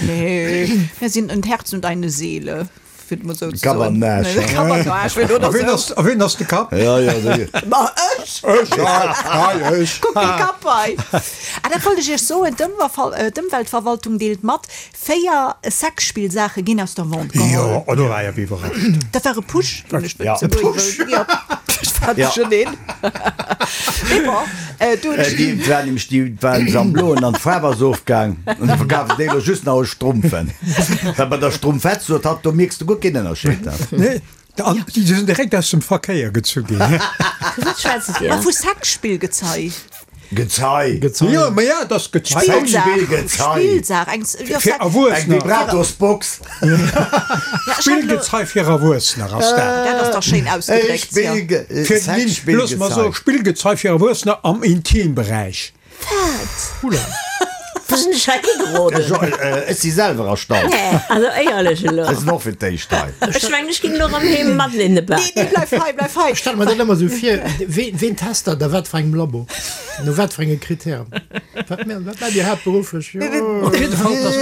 Nee, mir sinn en Herz und eine Seele, fir et mol esou ze soen. Kapp an Aarsch. Kapp an Aarsch, wéi A ween ass, a ween ass de Kapp? Ja, ja, esou. Ma ech! Ech, hei, ech. Kuck dee Kapp hei! Ah, dat wollt ech Iech soen, D'Ëmweltverwaltung deelt mat, 4 Sexspillsaache ginn aus der Vente geholl. Jo, oh, do war ech awer iwwerrascht. Dat war e Push, deen ech Ja. wëll ze Push. Ja, ech war duercherneen. Mee bon, do hunn ech. Déi war nämlech, déi waren se am Bloen an d'Faarf ass ofgaang an du verkafs déi elo just nach als Strumpfen. Well bei der Strumpfett, sot hatt, do mierks de guer keen Ënnerscheed. Nee, an déi sinn direkt aus dem Verkéier gezu ginn. Vu wat schwätzt Dir? Ma vu Sexspillgezei. Gezei. Gezei. Jo, ma ja, et ass Gezei. Spillsaach. Spillgezei. Spillsaach. Eng, jo, Fir Sex. Eng Erwuessener. Vibratosbox. Ja, ech hat elo. Spillgezei fir Erwuessener ass dat. Dat ass dach schéin ausgedréckt, jo. Spillge, Fir, nee, looss mer soen, Sexspillgezei. Spillgezei fir Erwuessener am Intimberäich. Wat? Hula. Wou sinn ech hei higeroden? Ech si selwer erstaunt. Nee, also éierlech elo. Ech sinn och fir d'éischt hei. Ech mengen, ech ginn elo erëm heem Madeleine baken. Nee, nee, bleif hei, bleif hei. Ech stelle mer dat ëmmer esou vir, ween, ween test dat a wat fir engem Labo? No wat fir enge Kritären? Wat mä, wat maacht Dir haaptberufflech? Jo. Op jidde Fall, dass,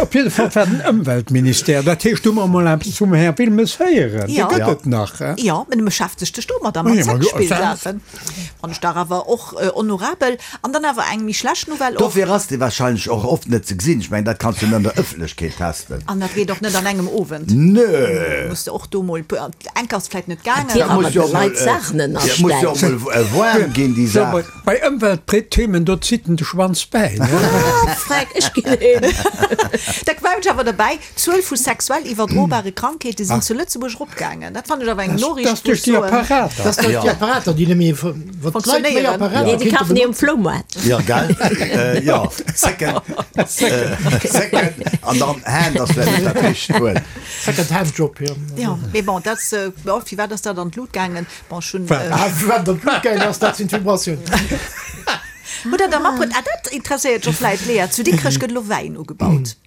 op jidde Fall war den Ëmweltministère, dat heescht, do hu mer emol eppes vum Här Wilmes héieren. Dee Ja. gëtt et nach, he? Jo, mä en beschäftegt sech domadder, mat Ja, ma jo, Sexspillsaachen. Fann ech dach awer och honorabel. An dann awer eng méi schlecht Nouvelle och. Dofir ass dee wahrscheinlech och oft net ze gesinn. Ech mengen, dat kanns du net an der Ëffentlechkeet testen. An dat geet och net an engem Owend. Nö. Muss de och do mol, enk ass vläit net gaangen. Dir Dat muss awer jo de mol, Leit Saachen dat muss jo ënnerstellen. mol waarm ginn, déi So, Saach. bei, bei. Ëmweltthemen, do zitt en de Schwanz bäi, ne? Ah, freck, ech ginn heem. Da war ech awer derbäi, d'Zuel vu sexuell iwwerdrobare Krankheete sinn zu Lëtzebuerg eropgaangen. Dat fannen ech awer eng Noriicht, Dat ass duerch déi Apparater. Dat ass duerch déi Apparater, déi net méi, wann d'Leit méi Apparater Nee, déi kafen déi um Floumaart. Jo, gell? Jo, Second, Second an dann Hand ass vläicht net dat richtegt Wuert. Second Hand Job, jo. Jo, mee bon, dat, bon, firwat ass dat an d'Lut gaangen? Bon, ech hunn. Firwat et an d'Lut gaangen ass, dat sinn d'Vibratiounen. Hutt Der da matbruet? Ah, dat interesséiert jo vläit d'Léa. Zu Dikrech gëtt elo Wäin ugebaut.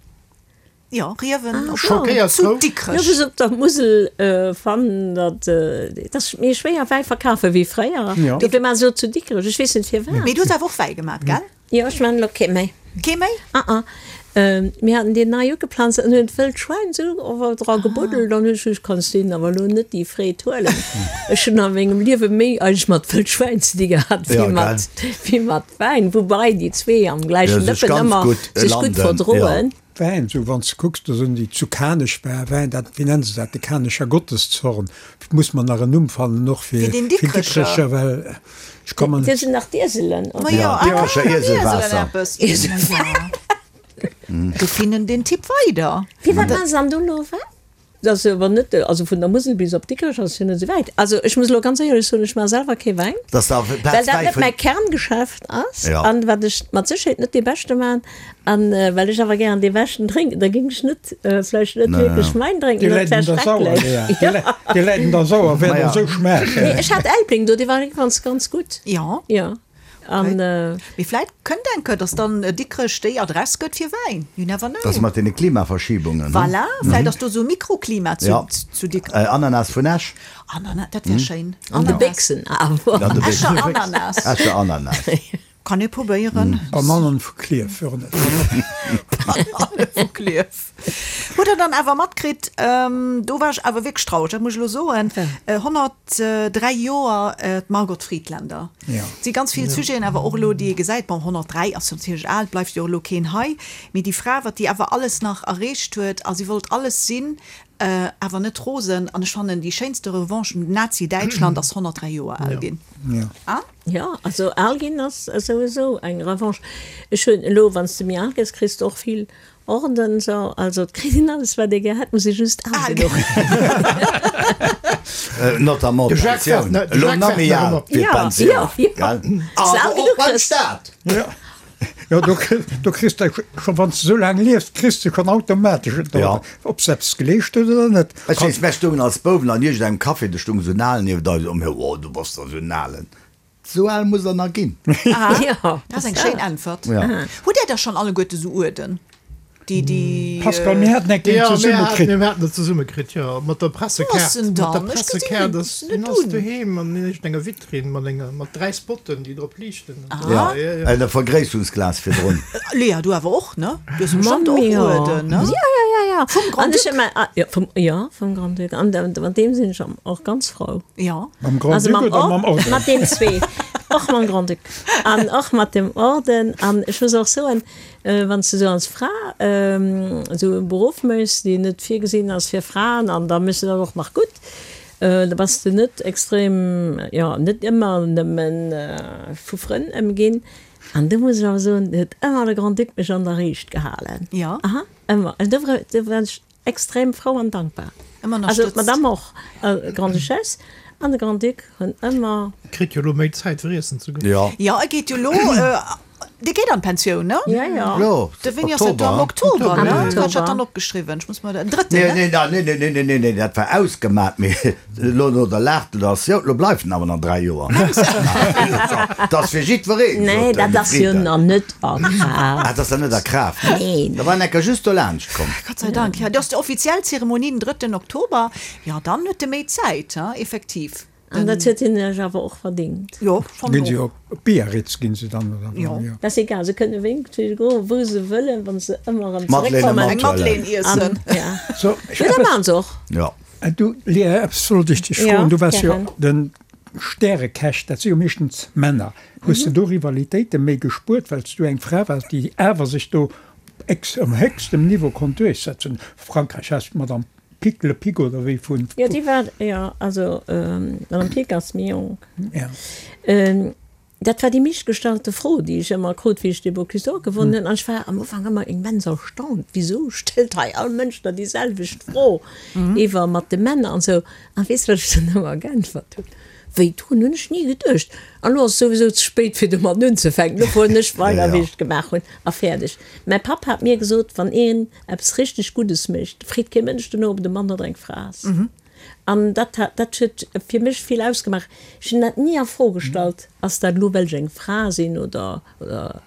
Jo, Riewen op Schockéiert zu frou. Dikrech. Jo, just op der Musel fannen, datt et ass méi schwéier Wäi verkafe wéi fréier. Dofir maache se elo zu Dikrech. Ech weess net firwat. Mee du hues awer och Wäi gemaat, gell? Jo, ech maan elo kee méi. Kee méi? Ah ah. Mir haten deen nei ugeplanzt an hunn d'wëllt Schwäin sou awer dra gebuddelt an hunn ech gesot, kanns deenen awer elo net déi Freed huelen. Ech hunn a mengem Liewe méi eigentlech mat wëllt Schwäin ze di gehat wéi mat, wéi mat Wäin, woubai déi zwee am gläichen Dëppen ëmmer sech gutt verdroen. Wäin, sou wann s de kucks, do sinn déi zu Kanech war Wäin, dat, wéi nennen se dat, de Kanecher Gotteszorn, muss mer nach en Numm fannen och fir Fir den Dikrecher. Dikrecher, well ech kommen. Do sinn nach d'Ieselen, oder? Ma jo, ah, Dikrecher Ieselwaasser. eppes. Ieselwaasser. Do finnen den Tipp weider. Firwat maache se dann do elo Wäin? Dat ass awer net, also vun der Musel bis op Dikrech ass jo net esou wäit. Also ech muss elo ganz éierlech soen, ech maache selwer kee Wäin, well dat net mäi Kerngeschäft ass an wat ech mat Sécherheet net dee Beschte maachen. An well ech awer gären dee Beschten drénken, da géing ech net vläicht net wierklech Wäin drénken, Dee dat wär läit un der Sauer, schrecklech. Lea. Dee läit un der Sauer, wäert och esou schmaachen. Nee, ech hat Elbling do, dee war ganz, ganz gutt. Jo. Jo. An. Mee vläit kënnt eng Kéier, dass dann Dikrech déi Adress gëtt fir Wäin, you never know. Dat ass mat deene Klimaverschiebungen, ne? Voilà, vläit ass do esou e Mikroklima zu Dikrech. Ananas vun Esch. Ananas, dat wär schéin. An de Béchsen awer. Escher Ananas. Escher Ananas. Kann ee probéieren. Bananen vu Klierf, jo net. Banane vu Klierf. Hutt der dann awer matkritt, do war ech awer wierklech traureg, dat muss ech elo soen, 103 Joer d'Margot Friedländer. Jo. Et si ganz vill Sujeten awer och elo, déi ee gesäit. Bon, 103 ass natierlech al, bleift jo och elo keen hei, mee déi Fra, wat déi awer alles nach erreecht huet a si wollt alles sinn, awer net rosen. An ech fannen, déi schéinste Revanche un Nazi-Däitschland ass 103 Joer al ginn. Jo. Ah? Jo, also al ginn ass souwisou eng Revanche. Ech hunn elo, wann s de méi al gëss, kriss de och vill Orden, sou, also et kritt een alles wat ee gär hätt, muss ee just al genuch ginn. Notamment d'Pensioun, elo nach méi al fir d'Pensioun, gell? Awer och beim Staat. Jo, do kriss de scho, wann s de esou laang liefs, kriss de schonn automatesch et, ob s de eppes geleescht hues oder net. Ech weess, mär stoungen als Bouwen an iergendengem Café, do stoung esou en Alen nieft eis, a mir, Oh, du bass der esou en Alen. Esou al muss der nach ginn. Aha, dat ass eng schéin Äntwert. Hutt Där da schonn alleguerte esou Uerden? Déi, déi. Pascal, mir haten eng Kéier zesumme kritt. Jo, mir haten et zesumme kritt, jo, mat der Pressekaart. Wou ass en dann? Mat der Pressekaart, ass, deen ass doheem an iergendenger Vitrinn mat enger, mat 3 Spotten, déi drop liichten. Ja, en Vergréissungsglas virdrun. Léa, du awer och, ne? Du hues bestëmmt och Uerden, ne? Jo, jo, jo, jo. Vum Grand-Duc? Jo, vum, jo, vum Grand-Duc. An mat deem sinn ech och ganz frou. Jo. Mam Grand-Duc oder mam Orden? Mat deenen zwee. Och mam Grand-Duc an och mat dem Orden. An ech muss och soen, Wann s de sou als Fra esou e Beruff méchs, deen net virgesinn ass fir Fraen, an da méchs de dat och nach gutt, da bass de net extrem, jo, net ëmmer nëmme vu Frënn ëmginn. An do muss ech awer soen, do huet ëmmer de Grand-Duc mech an der Riicht gehalen. Aha, ëmmer. An do war ech Extrem frou an dankbar. Also d'Madame och, Grande-Duchesse an de Grand-Duc hunn ëmmer. Kritt jo lo méi Zäit fir iessen ze goen. Jo. Jo, e geet jo lo, dee geet an d'Pensioun, ne? Jo, jo. De wéini ass dat do? Am Oktober, ne? Wat hat ech dat dann opgeschriwwen? Ech muss mer den drëtten, ne? Nee, nee, nee, nee, nee, nee, nee, dat war ausgemat, mee elo no der Lag, do ass jo, lo bleift en awer nach 3 Joer. Dat ass fir jiddwereen, Nee, sot de dat ass jo Frieden. nach net a Kraaft. Ah, dat ass nach net a Kraaft? Neen. Da war en enker just dolaanscht komm. Gott sei Dank, jo. Dat ass déi offiziell Zeremonie den drëtten Oktober. Jo, dann huet e méi Zäit, hein, effektiv. An dat huet hien sech awer och verdingt. Jo, fannen Ginn si och. op Biarritz ginn se dann, oder? Jo. Dat ass egal, se kënne wéi goen, wou se wëllen, wa se ëmmer erëm Madeleine zeréckkommen. Eng Madeleine iessen. An, ja. So, ech Jo, dat eppes. maachen se och. Jo. Du, Léa, eppes wollt ech dech Ja, froen. Du waars jo gären. de Stärekäch, dat si jo meeschtens Männer. Hues de do Rivalitéite méi gespuert, well s du eng Fra waars, déi awer sech do ex um héchstem Niveau konnt duerchsetzen? Frankräich has d'Madame Pic, Le Pic oder wéi vun. Jo, déi war, jo, also d'Madame Pic ass méi jonk. Ja. Dat war déi meeschtgestallte Fro, déi ech ëmmer krut, wéi ech de Bocuse d'Or gewonnen hunn. An ech war am Ufank ëmmer immens erstaunt, Wisou stellt hei all Mënsch der déi selwecht Fro iwwer mat de Männer an esou? A weess de, wat ech dann ëmmer geäntwert hunn? Wéi, drun hunn ech ni geduecht. An elo ass et souwisou ze spéit, fir domat unzefänken. Lo fueren ech weider, wéi ech et gemaach hunn, a fäerdeg. Mäi Papp hat mir gesot, Wann een eppes richteg Guddes mécht, freet kee Mënsch dono, ob et e Mann oder eng Fra ass. An dat hat, dat huet fir mech vill ausgemaach. Ech hunn dat ni a Fro gestallt, ass dat elo well ech eng Fra sinn oder, oder,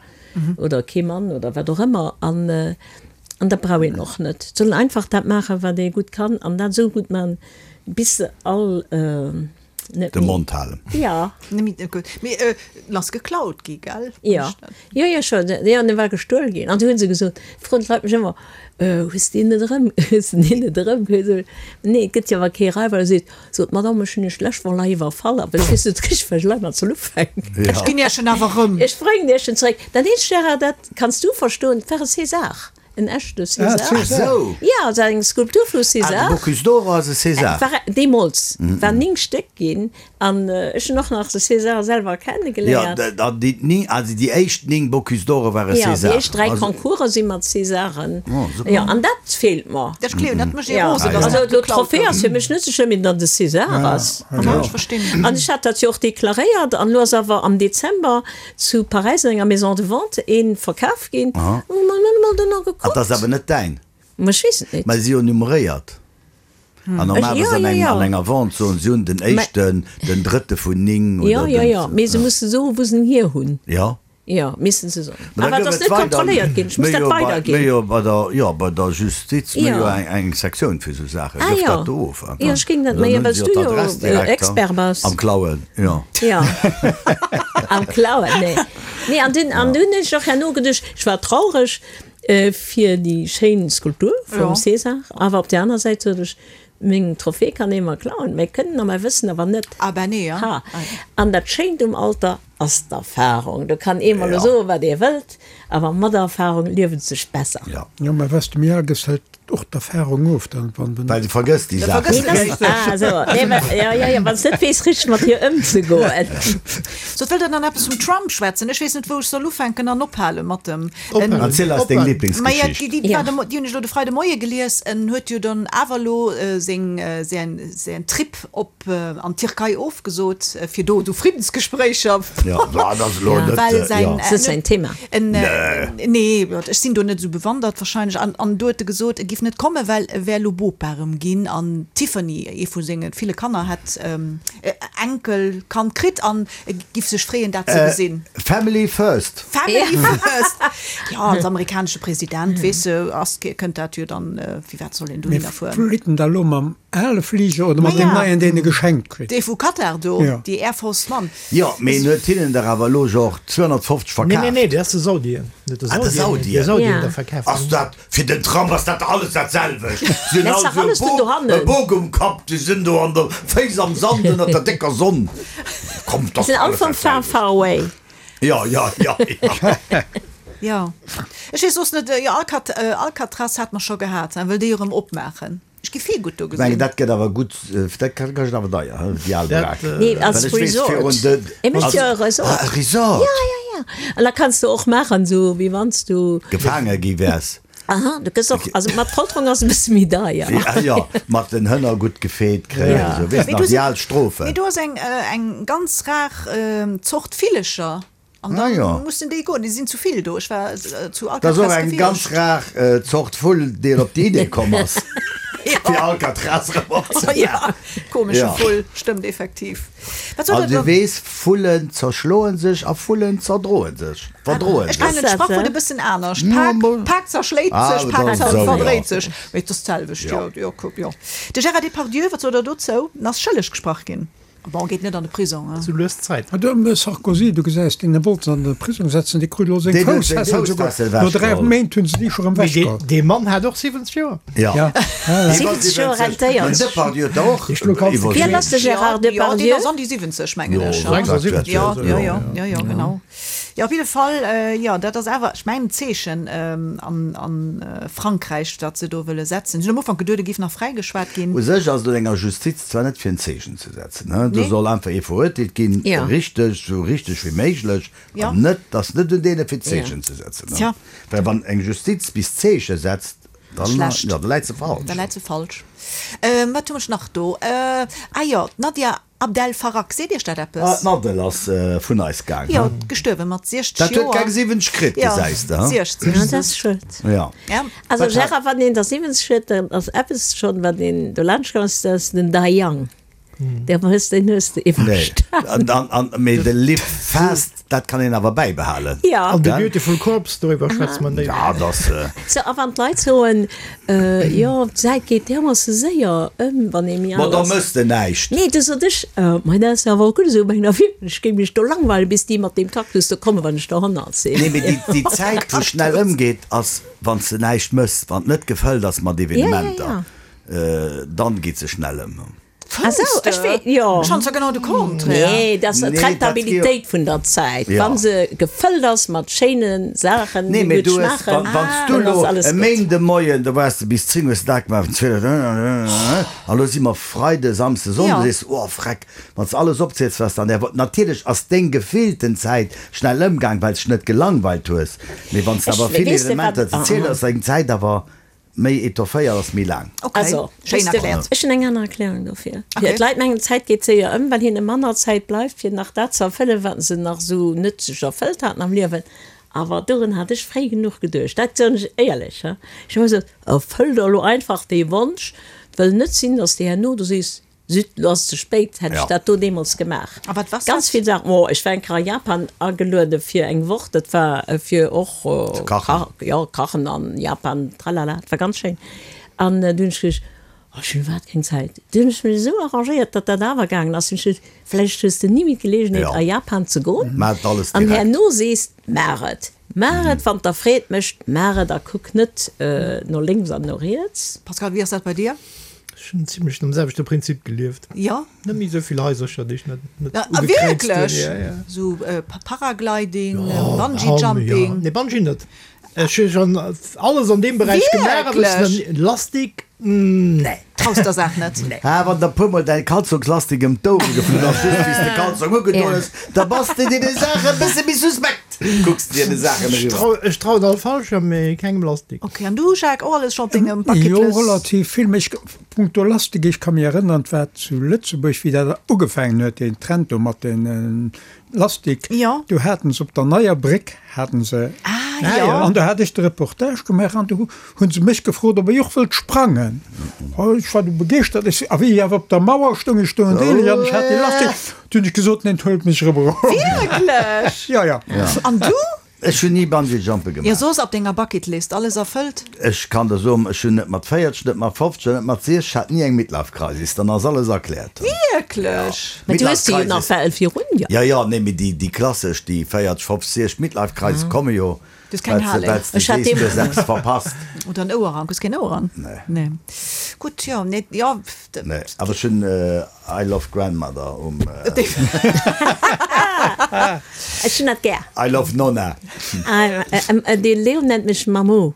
oder kee Mann oder wat och ëmmer. An, an dat brauch een och net. Et soll een einfach dat maachen, wat ee gutt kann an dat esou gutt maachen, bis se all net De méi. Mond halen. Jo. Mee en ass geklaut gi, gell? Jo, jo, jo, scho, jo, en war gestuel ginn. An du hunn se gesot, froen d'Leit mech ëmmer, Hues de deen net erëm, hues de deen net erëm? Nee, et gëtt jo awer kee Raiber. Seet, sot d'Madame, ech hunn iech d'lescht Woch nach iwwerfall, awer ech weess net richteg, wat ech elo mat soll ufänken. Ech ginn iech en awer erëm. Ech bréngen iech en zeréck. Dat eenzegt, Gérard, dat kanns du verstoen, et war e César. En echte César. Ah, sou. Jo, et war eng Skulptur vu César. Ah, de Bocuse d'Or ass e César. War deemools, war 9 Stéck ginn an ech hunn och nach de César selwer kennegeléiert. Jo, an déi 9, also déi éischt 9 Bocuse d'Ore ware César. Jo, déi éischt 3 Concourse si mat Césaren. Oh, super. Jo, an dat feelt mer. Ech gleewen, dat mécht ee rosen, dass dat geklaut gouf. Also, d'Trophée ass fir mech net sou schlëmm, mee datt et e César ass. Ja, ech verstinn. An ech hat dat jo och deklaréiert an elo ass awer am Dezember Zu Paräis an enger Maison de vente een verkaf ginn. Aha. Hu mer net emol dono gekuckt. Ah, dat ass awer net däin? Ma ech weess et net. Mä si jo nummeréiert. An normalerweis an engem, an enger Vente soen si hunn den éischten, den drëtte vun 9 oder Jo, jo, jo. Mee se musse soen, wou se en hier hunn. Jo. Jo, missten se soen. Awer et ass net kontrolléiert ginn. Ech muss dat weiderginn. Mir jo bei der, jo, bei der Justiz, mir jo eng, eng Sektioun fir esou Saachen. Ah, jo. Jo. Dat do of. Jo, ech géing dat, ma jo, well s du jo Expert bass. Am Klauen, jo. Jo, am Klauen, nee. Nee, an dunn, an dunn hunn ech och herno geduecht, ech war traureg fir déi schéin Skulptur vum César, awer op där aner Säit sot ech, meng Trophée kann ee mer klauen, mä kënnen a mäi Wëssen awer net. Ah ben nee, ja. Ha, an dat Schéint um Alter ass d'Erfahrung. Do kann ee mer elo soen, wat ee wëllt, awer mat der Erfahrung lieft et sech besser. Jo. Jo, mä wess de méi al gëss, hält och d'Erfahrung of, dann wann den. Well du vergëss déi Saachen. Nee, dat, ah sou, nee, well, jo, jo, jo, wann s net weess richteg mat hir ëmzegoen. Sot, wëllt der dann eppes vum Trump schwätzen? Ech weess net, wou ech soll ufänken an ophale mat dem. Ophalen. Erziel eis deng Lieblingsgeschicht. Maja, déi, déi war de, déi hunn ech elo de Freide Moie gelies. En huet jo dann awer elo seng, säin, säin Trip op an d'Tierkei ofgesot, fir do du Friddensgespréicher. Jo, dat ass elo net, well säin, jo. Ass net säin Thema. En, nee, ech sinn do net esou bewandert wahrscheinlech. An, an do huet e gesot, e giff net kommen, well e wär elo Bopa erëm ginn an d'Tiffany, ee vu senge ville Kanner, hätt e Enkelkand kritt an e giff sech freeën, dat ze gesinn. Family first. Family first! Jo, als amerikanesche President, weess de, ass, kënnt dat jo dann, firwat soll een dohinner fueren? Mee flitt en da elo mam ale Fliger oder mat deem neien, deen e geschenkt kritt? Dee vu Katar do, déi Air Force One. Jo, mee en huet hinnen der awer elo jo och 250 verkaaft. Nee, nee, nee, dat ass de Saudien. Net de Ah, de Saudien. De Saudien. Saudien der verkaaft. Ass dat, fir den Trump ass dat alles dat selwecht. Si hunn Dat ass all dach alles esou do e Bok, dohannen. e Bok um Kapp, déi sinn do an der, Féiss am Sand ënnert der décker Sonn. Komm, dat Sinn ass all alles vum dat far, selwecht. far away. Jo, jo, jo, jo. Jo, ech weess soss net, jo, Alcat, Alcatraz hat mer scho gehat, wëll déi erëm opmaachen. Ech gi vill gutt do Ech mengen gesinn. dat gëtt awer gutt, dat kascht awer deier, he, déi al Dat, Brak. Nee, als Well ech weess Resort. virun de, E mécht als, jo e Resort. ah, e Resort. Ja, ja, ja. An da kanns du och maachen, sou wéi wann s du. Gefaange gi wäers. Aha, du gëss och, also mat Folterung ass e bësse méi deier. Ja, jo, mat den Hënner gutt gefeet kréien, Ja. esou, weess Mee nach, do déi sinn, al Strofen. mee do ass eng, eng ganz rar Zort Villecher. An Ah da jo. mussen déi goen, déi sinn zu vill do. Ech war zu Dat ass och Alcatraz eng ganz gewiescht. rar Zort Vull, deen op déi Idee komm ass, fir Alcatraz erëm opzemaachen. Ja, komesche Ja. Vull, stëmmt effektiv. Wat soll An dat du dann? weess, Vullen zerschloen sech a Vullen zerdroen sech, verdroen Ech sech. kennen d'Sprachwuert e bëssen anescht, Ja, Pak, mol. Pak zerschléit Ah, sech, Pak dann zer esou, ja. verdréit sech. Mee et ass d'selwecht, jo, Ja. jo, kuck, jo. De Gérard Depardieu, wat sot Der dozou? En ass schëlleg gesprach ginn. Bon, geet net an de Prisong, hein. Sou lues d'Zäit. Ah, de Sarkozy, du gesäis deen, dee wollt se an de Prisong setzen, dee krut elo seng Deen huet seng Foussfessel souguer. Foussfessel No 3 ewechgeholl. Méint hunn se déi scho rëm Mee dee, ewechgeholl. dee Mann hat och 70 Joer. Ja. Ja, Dee war 70 Joer 70. rentéiert. Den Depardieu huet der och Ech lo kanns de iwwer Wéi al ass de 70. Gérard Jo, deen Depardieu? ass an déi 70, mengen Jo, ech, wat hein. dat 76 Jo, oder jo, sou. jo, jo, jo, genau. Jo, op jidde Fall, jo, dat ass awer, ech mengen, en Zeechen an a Frankräich, dat se do wëlle setzen. Ech hunn am Ufank geduet, et géif nach fräigeschwat ginn. U sech ass et un enger Justiz zwar net fir en Zeechen ze setzen, do soll einfach ee verurteelt ginn, richteg, esou richteg wéi méiglech, an net, et ass net un deene fir Zeechen ze setzen. Well wann eng Justiz bis Zeeche setzt, dann, jo, da läit se falsch. Da läit se falsch. Wat hunn ech nach do? Ah jo, d'Nadia Abdel Farag, seet Iech dat eppes? Ah, d'Nadel ass vun eis gaang, Jo, gestuerwe mat 60 Joer. Dat huet keng 70 kritt, gesäis de, Jo, 60. Ja, dat ass schued. Jo. Also Gérard, wann een der 70 huet, dann ass eppes schonn, wat een do laanscht komm ass, dat ass den Dai Young. Dee hues, deen hues de iwwerstan. Nee, an, an, mee de Live Fast, dat kann een awer bäibehalen. Jo. An The Beautiful Corpse, doriwwer schwätze mer néi. Ja, dat ass. Sou, a wann d'Leit soen, jo, d'Zäit geet därmoosse séier ëm, wann ee méi Ma al da ass. mëss de näischt. Nee, du sot ech, ma dat ass jo awer och gutt esou, meng ech géing mech do langweilen, bis déi mat deem Cactus do kommen, wann ech der 100 sinn. Nee, mee déi, déi Zäit, wou schnell ëmgeet, ass, wann s de näischt mëss, wann et net gefëllt ass mat Evenementer, dann geet se schnell ëm. Fënns de? Ech wee, jo. Ech fannen zwar genau de Contraire. Nee, dat ass d'Rentabilitéit vun der Zäit. Wa se gefëllt ass mat schéine Saachen, Nee, déi mee gutt du hues, schmaachen, wann s du dann elo ass alles e gutt. Méindemoien, do waars de bis 10 hues de dat gemaach, vun 12 an elo si mer Freide, Samsde, Sonnde, sees de, oh freck, wann s de alles opziels, wat s de an där Woch, natierlech ass deng gefillten Zäit schnell ëmgaang, well s dech net gelangweilt hues, mee wann s de Ech, awer vill weess de wat, Evenementer ze zielen hues, ass deng Zäit awer Méi etofféiert ass méi laang. Ok, Also, schéin weess de, erkläert. ech hunn eng aner Erklärung dofir. Ok. D'Leit mengen, d'Zäit geet séier ëm, well hinne manner Zäit bleift, fir nach dat ze erfëllen, wat se nach esou net sech erfëllt haten am Liewen. Awer dorun hat ech fréi genuch geduecht, dat soen ech éierlech. Ech hu ëmmer gesot, Erfëll der elo einfach dee Wonsch, 't wëll net sinn, dass de herno do sees, Zut, lo ass et ze spéit, hätt ech dat do deemools gemaach. A wat was Ganz dat? vill Saachen. Oh, ech war eng Kéier a Japan ageluede fir eng Woch, dat war fir och Ze kachen. Jo, kachen an Japan, tralala, et war ganz schéin. An du hunn ech geduecht, oh, ech hunn iwwerhaapt keng Zäit. Du hunn ech mech esou arrangéiert, datt dat awer gaangen ass. Hunn ech geduecht, vläicht hues de ni méi d'Geleegenheet a Japan ze goen. Maach et alles An direkt. herno sees, maach et, maach et, wann et der Freed mécht, maach et a kuck net no lénks an no riets. Pascal, wéi ass dat bei dir? Ech hunn zimlech nom selwechte Prinzip gelieft. Jo. Net méi esou vill Haisercher, déi ech net net Ah, ugekräizt hunn. wierklech? Ja, ja. Sou Paragliding, Jo, Bungee Jumping. Jo. Nee, Bungee net. Ech hu schonn alles an deem Beräich gemaach, awer ech sinn Wierklech? Lastik, nee. Traus der Saach net? Nee. Ah, wann der puermol däi Kalzongslastik ëm d'Ouere geflunn ass, just wéi s de Kalzong ugedoen hues, da bass de deene Saache e bësse méi suspekt. Kucks de dir de Saachen eriwwer. Ech trauen all Fallschirm, mee kengem Lastik. Ok, an du Jacques, och alles scho op dengem Bucket Jo, List? relativ vill. Mee ech, punkto Lastik, ech ka mir erënneren, et war zu Lëtzebuerg, wéi dat ugefaangen huet, deen Trend do mat den Lastik, Jo. do haten se op der Neier Bréck haten se, Ah, jo. an do hat ech de Reportage gemaach an do hu se mech gefrot, ob ech och wëllt sprangen. Ech war du begeeschtert, ech, a wéi ech awer op der Mauer stoung, ech stoung deeleg an ech hat dee Lastik, Du hunn ech gesot, neen, huelt mech erëm erof. Wierklech? Ja, ja. An du? Ech hunn ni Bungee-Jumpe Jo, gemaach. soss op denger Bucketlist alles erfëllt? Ech kann der soen, ech hunn net mat 40, net mat 50 an net mat 60, ech hat ni eng Midlife-Crisis, dann ass alles erkläert. Wierklech? Mä du hues se jo nach well virun dir. Ja, ja, nee, mee déi, déi klassesch, déi 40, 50, 60 Midlife-Crisis komme jo, Du hues keng well Harley. s de Ech hat sees, du deem. hues eppes verpasst. Oder en Ouerrank. Hues keen Ouerrank? Nee. Nee. Gutt, jo, nee, jo. Nee, awer ech hunn I love grandmother um. Ech hunn dat gär. I love nonna. De Leo nennt mech Mamou.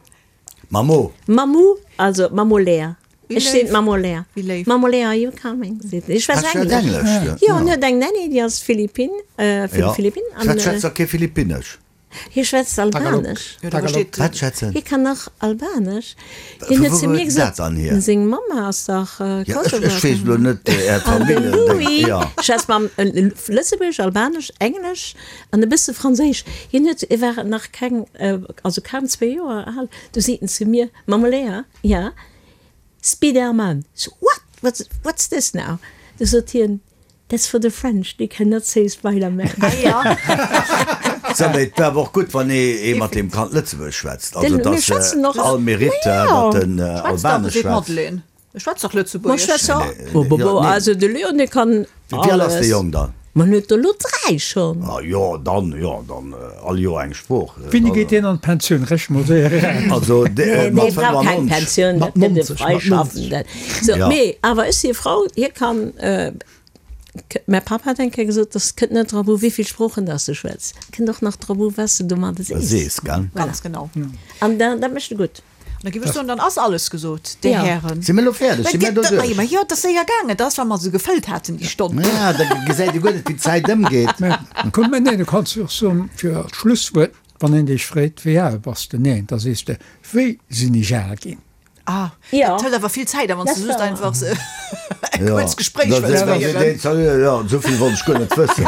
Mamou? Mamou, also Mamou Léa. Wéi Ech sinn léif. d'Mamou Léa. Wéi léif. Mamou Léa, are you coming? Seet en. Ech schwätz Ah, schwätz Englesch. Englesch, Jo, en huet eng Nanny, déi ass Philippin, vun de Ja. Philippinen. An Wat schwätzt da kee Philippinnesch? hie schwätzt Albanesch. Jo, da versteet. Wat schwätzt en? Hie kann nach Albanesch. Hien Vu huet wou zu mir huet en gesot, dat dann hier? seng Mamma ass dach Ja, ech, ech Kosovorin. weess elo net Är An de Familljen. Louis Ja. schwätzt mam Lëtzebuergesch, Albanesch, Englesch an e bësse Franséisch. Hien huet, e war nach keng, also kaum zwee Joer al, du seet en zu mir, Mamma Léa, ja, Spiderman. Ech so, What? What's, what's this now? Du sot hien, That's for the French, they cannot say Spider-Man. Ah ja. So, mee et wär awer och gutt, wann ee mat deem Kand Lëtzebuergesch schwätzt. Also, Den, et mir ass schwätzen och. all Mérite, Ma jo. datt en Schwätzt dach, Albanesch seet schwätzt. d'Madeleine. Ech schwätz dach Ma Lëtzebuergesch. schwätz och. Nee, Bo, bo, bo, jo, nee. also de Leon, dee kann Wéi al ass alles. de Jong dann? Ma en huet der elo 3 schonn. Ah jo, dann, jo, dann all Joer eng Sprooch. Wéini geet deen an d'Pensioun? Rechne mol séier eraus. Also Dee mat brauch keng 95. Pensioun, Mat dat gëtt e 90, mat Freischaffenden. 90. So, Ja. mee awer ech si e Frau, hie kann. Mäi Papp hat eng Kéier gesot, dass kënnt net drop u wéivill Sproochen dass de schwätz, et kënnt och nach drop u wat s de domadde sees. Sees, gell? Ganz genau. An dat mécht e gutt. An da géif ech soen, dann ass alles gesot, Dir Hären. Si mir elo fäerdeg? Si mir do duerch? Ma jo, et ass séier gaangen. Et ass, well mer se gefëllt haten, déi Stonn. Ja, da gesäit ee guer net, wéi d'Zäit ëmgeet. Mä komm, mä nee, du kanns jo och soen, fir als Schlusswuert, wann een dech freet, Wéi al bass de? Neen, da sees de, Wéi sinn ech al ginn? Ah, dat hëlt awer vill Zäit, a wann s de just einfach e kuerzt Gespréich wëlls féieren. Jo, esou vill wollt ech guer net wëssen.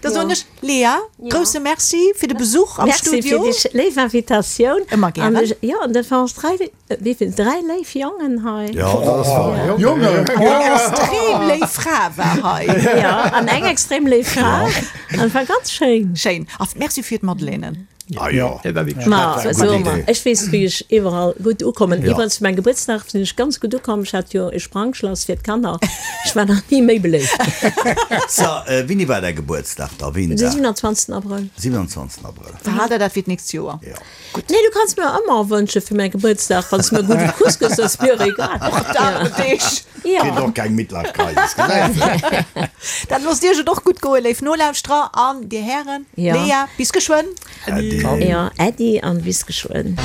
Da soen ech, Lea, grousse Merci fir de Besuch am Studio. Merci fir déi léif Invitatioun. Ëmmer gären. Jo, an dat waren ons dräi, wéi vill, dräi léif Jongen hei. Jo, dat ass wahr. Jongen! Eng extrem léif Fra war hei. Jo, an eng extrem léif Fra. An et war ganz schéin. Schéin. A merci fir d'Madeleinen. Ah jo, Ma soe mer, ech weess wéi ech iwwerall gutt ukommen. Iwwerens fir mäin Gebuertsdag sinn ech ganz gutt ukomm. Ech hat jo e Sprangschlass fir d'Kanner. Ech war nach ni méi beléift. So, wéini war däi Gebuertsdag da? Wéi een Den Dag? 27. Abrëll. 27. Abrëll. Verhal der dat fir d'nächst Joer. Jo. Gutt. Nee, du kanns mir ëmmer wënsche fir mäi Gebuertsdag, wann s de mir gudde Kuss gëss, ass mir egal. Och dat op Deeg. Jo. Kritt och keng Midlife Crisis, gesäis de. Dann loosst Iech et och gutt goen, léif Nolauschterer an Dir Hären. Jo. Lea, bis geschwënn. Äddi. Jo, Äddi an bis geschwënn.